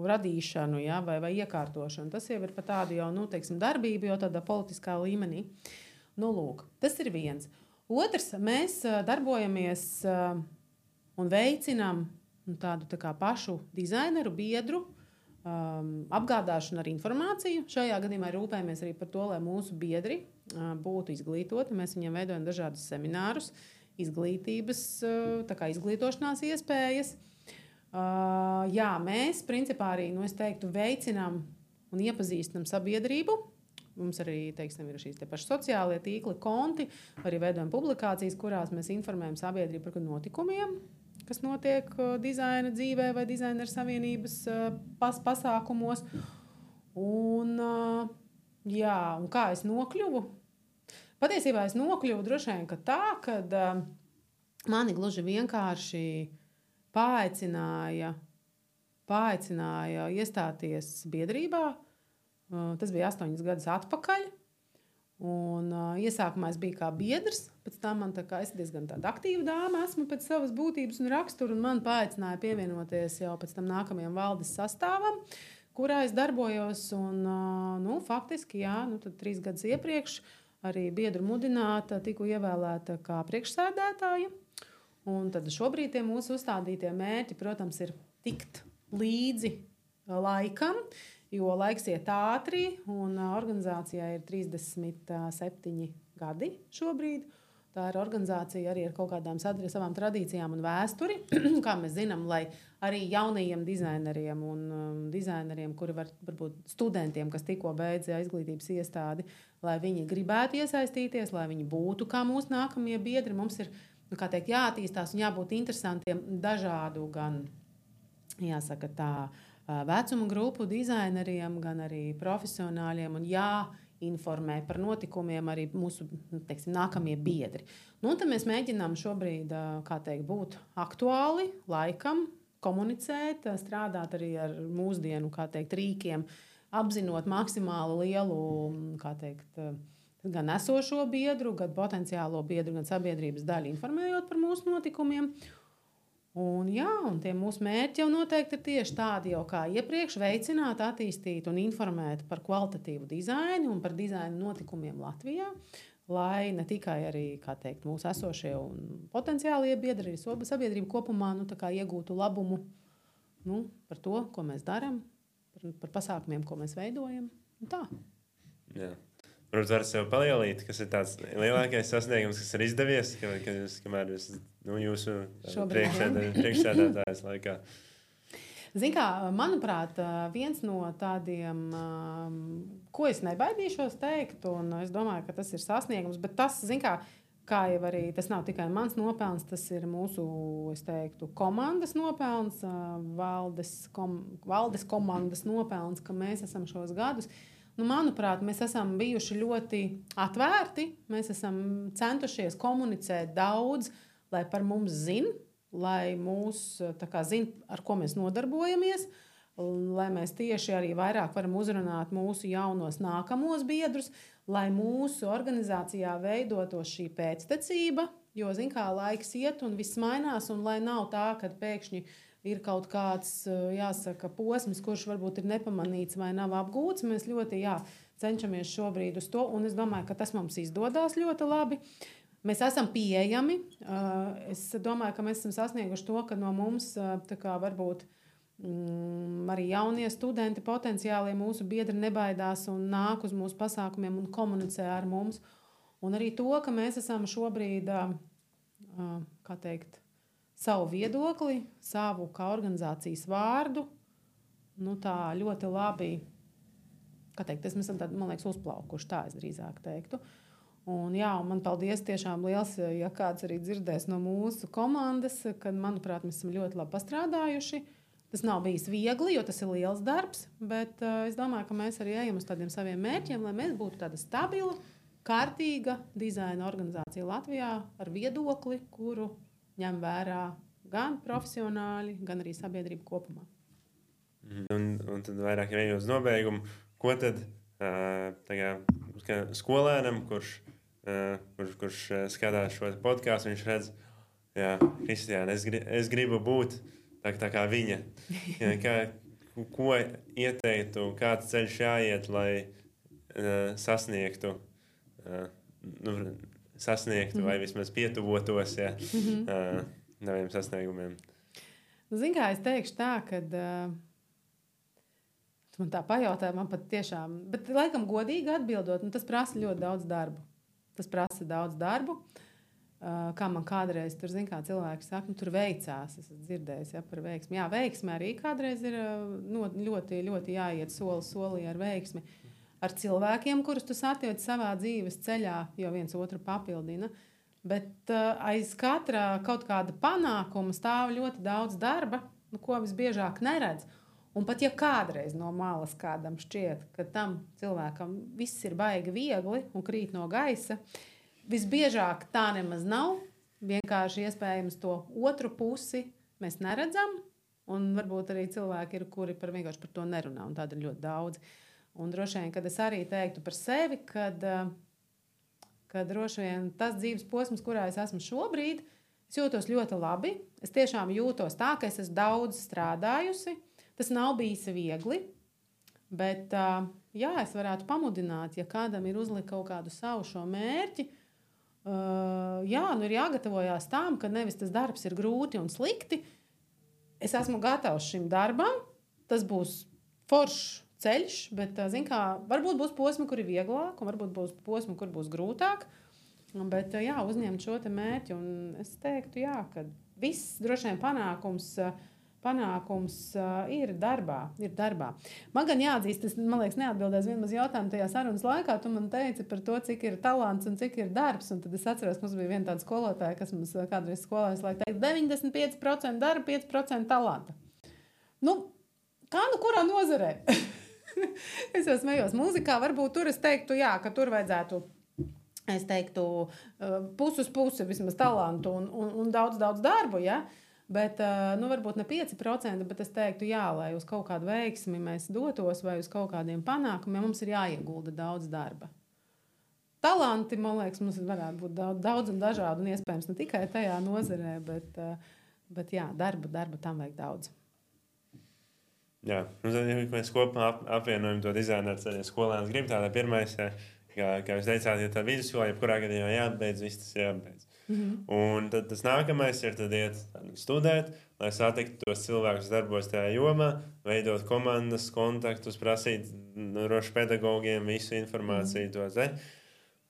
radīšanu, vai iekārtošanu. Tas jau ir par tādu jau, darbību, jau tādā politiskā līmenī. Lūk, tas ir viens. Otrs, mēs darbojamies un veicinām tādu tā kā pašu dizaineru biedru apgādāšanu ar informāciju. Šajā gadījumā rūpējamies arī par to, lai mūsu biedri būtu izglītoti. Mēs viņiem veidojam dažādus seminārus, izglītības, tā kā izglītošanās iespējas. Jā, mēs principā arī, es teiktu, veicinām un iepazīstinām sabiedrību. Mums arī, teiksim, ir šīs te paši sociālie tīkli, konti, arī veidojam publikācijas, kurās mēs informējam sabiedrību par notikumiem, kas notiek dizaina dzīvē vai dizaineru savienības pasākumos. Un kā es nokļuvu? Patiesībā es nokļuvu droši vien, ka tā, kad mani gluži vienkārši paaicināja iestāties biedrībā. Tas bija 8 gadus atpakaļ. Un, iesākumā es biju kā biedrs, pēc tam man es diezgan tāda aktīva dāma esmu pēc savas būtības un rakstura, un man paaicināja pievienoties jau pēc tam nākamajam valdes sastāvam, kurā es darbojos. Un, faktiski, tad 3 gadus iepriekš arī biedru mudināta tiku ievēlēta kā priekšsēdētāja. Un tad šobrīd tie mūsu uzstādītie mērķi, protams, ir tikt līdzi laikam, jo laiks iet ātri, un organizācijai ir 37 gadi šobrīd. Tā ir organizācija arī ar kaut kādām savām tradīcijām un vēsturi, kā mēs zinām, lai arī jaunajiem dizaineriem un dizaineriem, kuri varbūt studentiem, kas tikko beidza izglītības iestādi, lai viņi gribētu iesaistīties, lai viņi būtu kā mūsu nākamie biedri. Mums ir, jāattīstās un jābūt interesantiem dažādu gan, jāsaka tā, vecuma grupu dizaineriem, gan arī profesionāļiem, un jāinformē par notikumiem arī mūsu, nākamie biedri. Tad mēs mēģinām šobrīd, būt aktuāli laikam, komunicēt, strādāt arī ar mūsdienu, rīkiem, apzinot maksimāli lielu, gan esošo biedru, gan potenciālo biedru, gan sabiedrības daļu, informējot par mūsu notikumiem. Un tie mūsu mērķi jau noteikti ir tieši tādi, jau kā iepriekš veicināt, attīstīt un informēt par kvalitatīvu dizainu un par dizaina notikumiem Latvijā, lai ne tikai arī, mūsu esošie un potenciālie biedri, arī sabiedrība kopumā iegūtu labumu par to, ko mēs darām, par pasākumiem, ko mēs veidojam. Un tā. Jā. Varbūt var sev palielīt, kas ir tāds lielākais sasniegums, kas ir izdevies, kamēr jūs jūsu priekšsēdētājas laikā. Zin kā, manuprāt, viens no tādiem, ko es nebaidīšos teikt, un es domāju, ka tas ir sasniegums, bet tas, kā jau arī, tas nav tikai mans nopelns, tas ir mūsu, es teiktu, komandas nopelns, valdes komandas nopelns, ka mēs esam šos gadus. Manuprāt, mēs esam bijuši ļoti atvērti, mēs esam centušies komunicēt daudz, lai par mums zina, lai mūs zina, ar ko mēs nodarbojamies, lai mēs tieši arī vairāk varam uzrunāt mūsu jaunos nākamos biedrus, lai mūsu organizācijā veidotos šī pēctecība, jo, laiks iet un viss mainās, un lai nav tā, kad pēkšņi ir kaut kāds, posms, kurš varbūt ir nepamanīts vai nav apgūts. Mēs ļoti cenšamies šobrīd uz to, un es domāju, ka tas mums izdodas ļoti labi. Mēs esam pieejami. Es domāju, ka mēs esam sasnieguši to, ka no mums varbūt arī jaunie studenti, potenciālie mūsu biedri nebaidās un nāk uz mūsu pasākumiem un komunicē ar mums. Un arī to, ka mēs esam šobrīd, savu viedokli, savu kā organizācijas vārdu, tā ļoti labi, mēs esam tādi, man liekas, uzplaukuši, tā es drīzāk teiktu. Un man paldies tiešām liels, ja kāds arī dzirdēs no mūsu komandas, kad, manuprāt, mēs esam ļoti labi pastrādājuši. Tas nav bijis viegli, jo tas ir liels darbs, bet es domāju, ka mēs arī ejam uz tādiem saviem mērķiem, lai mēs būtu tāda stabila, kārtīga dizaina organizācija Latvijā ar viedokli, kuru ņem vērā gan profesionāļi, gan arī sabiedrība kopumā. Un tad vairāk jau uz nobeigumu, ko tad skolēnam, kurš skatās šo podcastu, viņš redz, Kristiāna, es gribu būt tā kā viņa. Ko ieteiktu, kāds ceļš jāiet, lai sasniegtu sasniegtu vai vismaz pietuvotos saviem sasniegumiem. Zini, kā es teikšu tā, kad tu man tā pajautāji, man pat tiešām, bet laikam godīgi atbildot, tas prasa ļoti daudz darbu. Tas prasa daudz darbu. Kā man kādreiz tur, zin, kā cilvēki saka, tur veicās, es esmu dzirdējis, par veiksmi. Jā, veiksmi arī kādreiz ir ļoti, ļoti jāiet soli solī ar veiksmi. Ar cilvēkiem, kurus tu satiec savā dzīves ceļā, jo viens otru papildina. Bet aiz katra kaut kāda panākuma stāv ļoti daudz darba, ko visbiežāk neredz. Un pat ja kādreiz no malas kādam šķiet, ka tam cilvēkam viss ir baigi viegli un krīt no gaisa, visbiežāk tā nemaz nav. Vienkārši iespējams to otru pusi mēs neredzam. Un varbūt arī cilvēki ir, kuri vienkārši par to nerunā. Un tāda ir ļoti daudz. Un droši vien, kad es arī teiktu par sevi, kad droši vien tas dzīves posms, kurā es esmu šobrīd, es jūtos ļoti labi. Es tiešām jūtos tā, ka es esmu daudz strādājusi. Tas nav bijis viegli. Bet jā, es varētu pamudināt, ja kādam ir uzlikt kaut kādu savu šo mērķi, jā, ir jāgatavojās tam, ka nevis tas darbs ir grūti un slikti. Es esmu gatavs šim darbam. Tas būs foršs ceļš, bet, zin kā, varbūt būs posmi, kur ir vieglāk, un varbūt būs posmi, kur būs grūtāk. Bet, jā, uzņemt šo te mērķi, un es teiktu, jā, ka viss droši vien panākums ir darbā. Man gan jāatzīst, es, man liekas, neatbildēs vienmaz jautājumu tajā sarunas laikā. Tu man teici par to, cik ir talants un cik ir darbs. Un tad es atceros, ka mums bija viena tāda skolotāja, kas mums kādreiz skolājas laika teica 95% darba, 5% talanta. Kā kurā nozarē? Es jau smējos mūzikā. Varbūt tur es teiktu, jā, ka tur vajadzētu, es teiktu, pusi uz pusi vismaz talantu un daudz darbu, ja? Bet, varbūt ne 5%, bet es teiktu, jā, lai uz kaut kādu veiksmi mēs dotos vai uz kaut kādiem panākumiem, mums ir jāiegulda daudz darba. Talanti, man liekas, mums varētu būt daudz un dažādi, un iespējams ne tikai tajā nozarē, bet jā, darba tam vajag daudz. Jā, tad, ja mēs kopā apvienojam to dizaineru ceļu skolēnus, gribu tādā pirmais, kā jūs teicāt, ja tā vidusskolā, jebkurā gadījumā jābeidz, viss tas jābeidz. Un tad tas nākamais ir iet studēt, lai satiktu tos cilvēkus, kas darbojas tajā jomā, veidot komandas, kontaktus, prasīt rošu pedagogiem visu informāciju to te.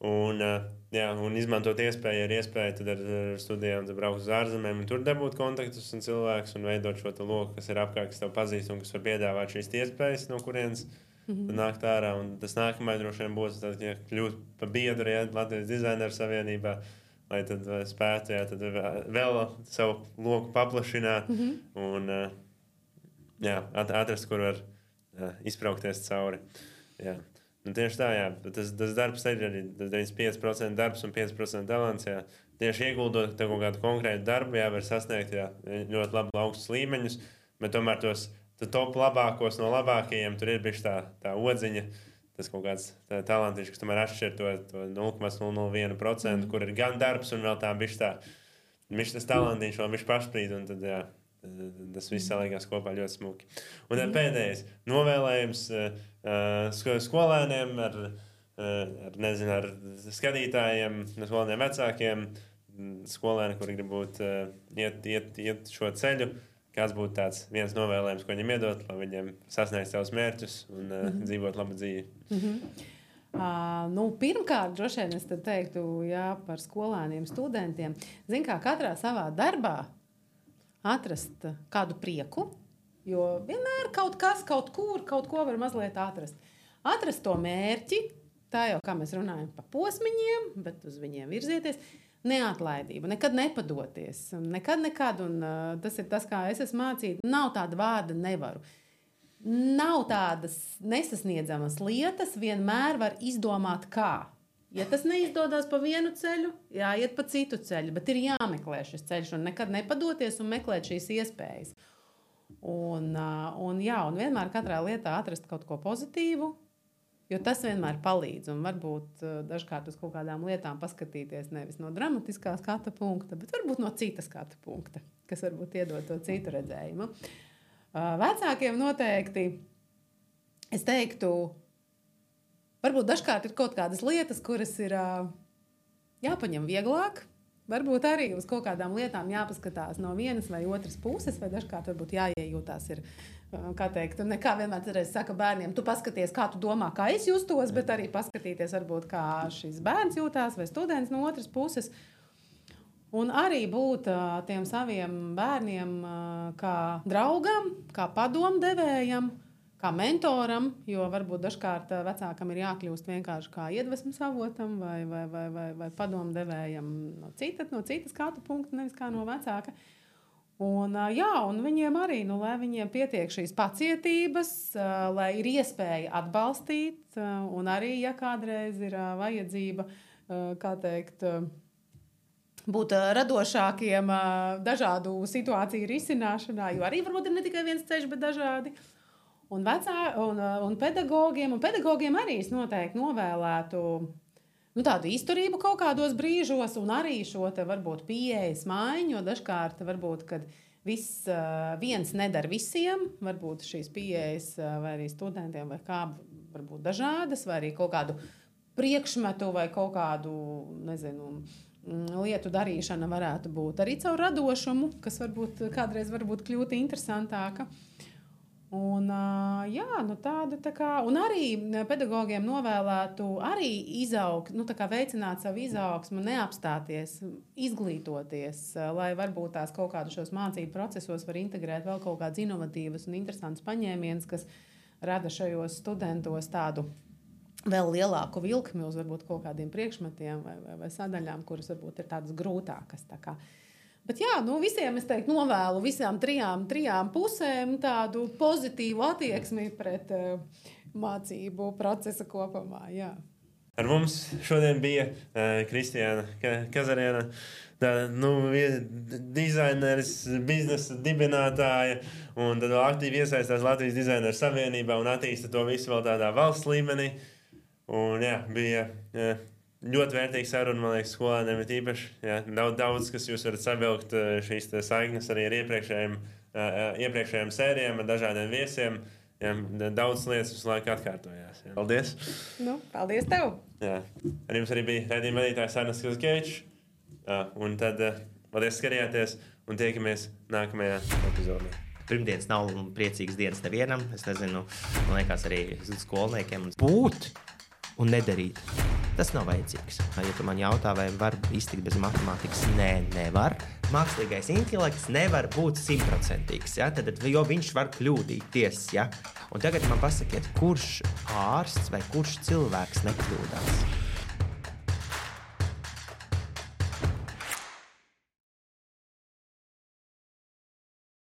Un izmantot iespēju tad ar studijām braukt uz ārzemēm un tur dabūt kontaktus un cilvēkus un veidot šo loku, kas ir apkārt, kas tev pazīst un kas var piedāvāt šīs iespējas, no kurienes nākt ārā. Un tas nākamais droši vien būs kļūt par biedru Latvijas dizaineru savienībā, lai tad spētu tad vēl savu loku paplašināt un atrast, kur var izbraukties cauri. Jā. Un tieši tā, jā, tas darbs ir arī 95% darbs un 5% talants. Jā. Tieši ieguldot kaut kādu konkrētu darbu, var sasniegt ļoti labi augstus līmeņus, bet tomēr tos top labākos no labākajiem tur ir bišķi tā odziņa. Tas kaut kāds talantiņš, kas tomēr atšķir to 0,001%, kur ir gan darbs un vēl tā bišķi tas talantiņš vēl bišķi pašprīd, un tad, jā, tas viss salīgās kopā ļoti smuki. Un tad pēdējais novēlējums skolēniem ar skatītājiem, skolēniem vecākiem, skolēni, kuri grib būt iet šo ceļu. Kāds būtu tāds viens novēlējums, ko viņiem iedot, lai viņiem sasniegtu savus mērķus un dzīvot labu dzīvi? Pirmkārt, droši vien es teiktu, jā, par skolēniem, studentiem. Zin kā katrā savā darbā atrast kādu prieku, jo vienmēr kaut kas, kaut ko var mazliet atrast. Atrast to mērķi, tā jau kā mēs runājam pa posmiņiem, bet uz viņiem virzieties. Neatlaidība, nekad nepadoties, nekad, un tas ir tas, kā es esmu mācīta, nav tāda vārda nevaru. Nav tādas nesasniedzamas lietas, vienmēr var izdomāt kā. Ja tas neizdodas pa vienu ceļu, jāiet pa citu ceļu, bet ir jāmeklē šis ceļš un nekad nepadoties un meklēt šīs iespējas. Un vienmēr katrā lietā atrast kaut ko pozitīvu, jo tas vienmēr palīdz. Un varbūt dažkārt uz kaut kādām lietām paskatīties nevis no dramatiskā skatu punkta, bet varbūt no cita skatu punkta, kas varbūt iedod to citu redzējumu. Vecākiem noteikti, es teiktu, varbūt dažkārt ir kaut kādas lietas, kuras ir jāpaņem vieglāk. Varbūt arī uz kaut kādām lietām jāpaskatās no vienas vai otras puses, vai dažkārt varbūt jāiejūtās ir, kā teikt, nekā vienmēr saka bērniem, tu paskaties, kā tu domā, kā es justos, bet arī paskatīties varbūt, kā šis bērns jūtās vai students no otras puses. Un arī būt tiem saviem bērniem kā draugam, kā padomdevējam, kā mentoram, jo varbūt dažkārt vecākam ir jākļūst vienkārši kā iedvesmas avotam vai padomdevējam no citas skatu punkta, nevis kā no vecāka. Un viņiem arī, lai viņiem pietiek šīs pacietības, lai ir iespēja atbalstīt, un arī, ja kādreiz ir vajadzība, kā teikt, būt radošākiem dažādu situāciju risināšanā, jo arī varbūt ir ne tikai viens ceļš, bet dažādi. Un pedagogiem arī es noteikti novēlētu tādu izturību kaut kādos brīžos, un arī šo te varbūt pieejas maiņu, jo dažkārt varbūt, kad viens nedara visiem, varbūt šīs pieejas vai arī studentiem vai kā varbūt dažādas, vai arī kaut kādu priekšmetu vai kaut kādu, nezinu, lietu darīšana varētu būt arī caur radošumu, kas varbūt kādreiz varbūt kļūt interesantāka. Un, tāda tā kā, un arī pedagogiem novēlētu arī izaugt, veicināt savu izaugsmu, neapstāties, izglītoties, lai varbūt tās kaut kādu šos mācību procesos var integrēt vēl kaut kādas inovatīvas un interesantas paņēmienas, kas rada šajos studentos tādu vēl lielāku vilkmi uz varbūt kaut kādiem priekšmetiem vai sadaļām, kuras varbūt ir tādas grūtākas. Tā kā. Bet visiem es teiktu novēlu visām trijām pusēm tādu pozitīvu attieksmi pret mācību procesa kopumā. Jā. Ar mums šodien bija Kristiāna Kazariena, dizaineris, biznesa dibinātāja, un tad vēl aktīvi iesaistās Latvijas dizaineru savienībā un attīsta to visu vēl tādā valsts līmenī. Un bija ļoti vērtīga saruna, man liekas, skolēniem ir īpaši. Daudz, kas jūs varat savilkt šīs saiknes arī ar iepriekšējām sērijām, ar dažādiem viesiem. Daudz lietas visu laiku atkārtojās. Paldies! Paldies tev! Ar jums arī bija raidījuma vadītājs Ernsts Kazakievičs. Un tad paldies, skatījāties, un tiekamies nākamajā epizodē. Pirmdienas nav priecīgas dienas nevienam. Es nezinu, man liekas arī skolniekiem. Būt un nedarīt. Tas nav vajadzīgs. Ja tu man jautā, vai var iztikt bez matemātikas, nevar. Mākslīgais intelekts nevar būt 100%. Ja? Jo viņš var kļūdīties. Ja? Un tagad man pasakiet, kurš ārsts vai kurš cilvēks nekļūdās?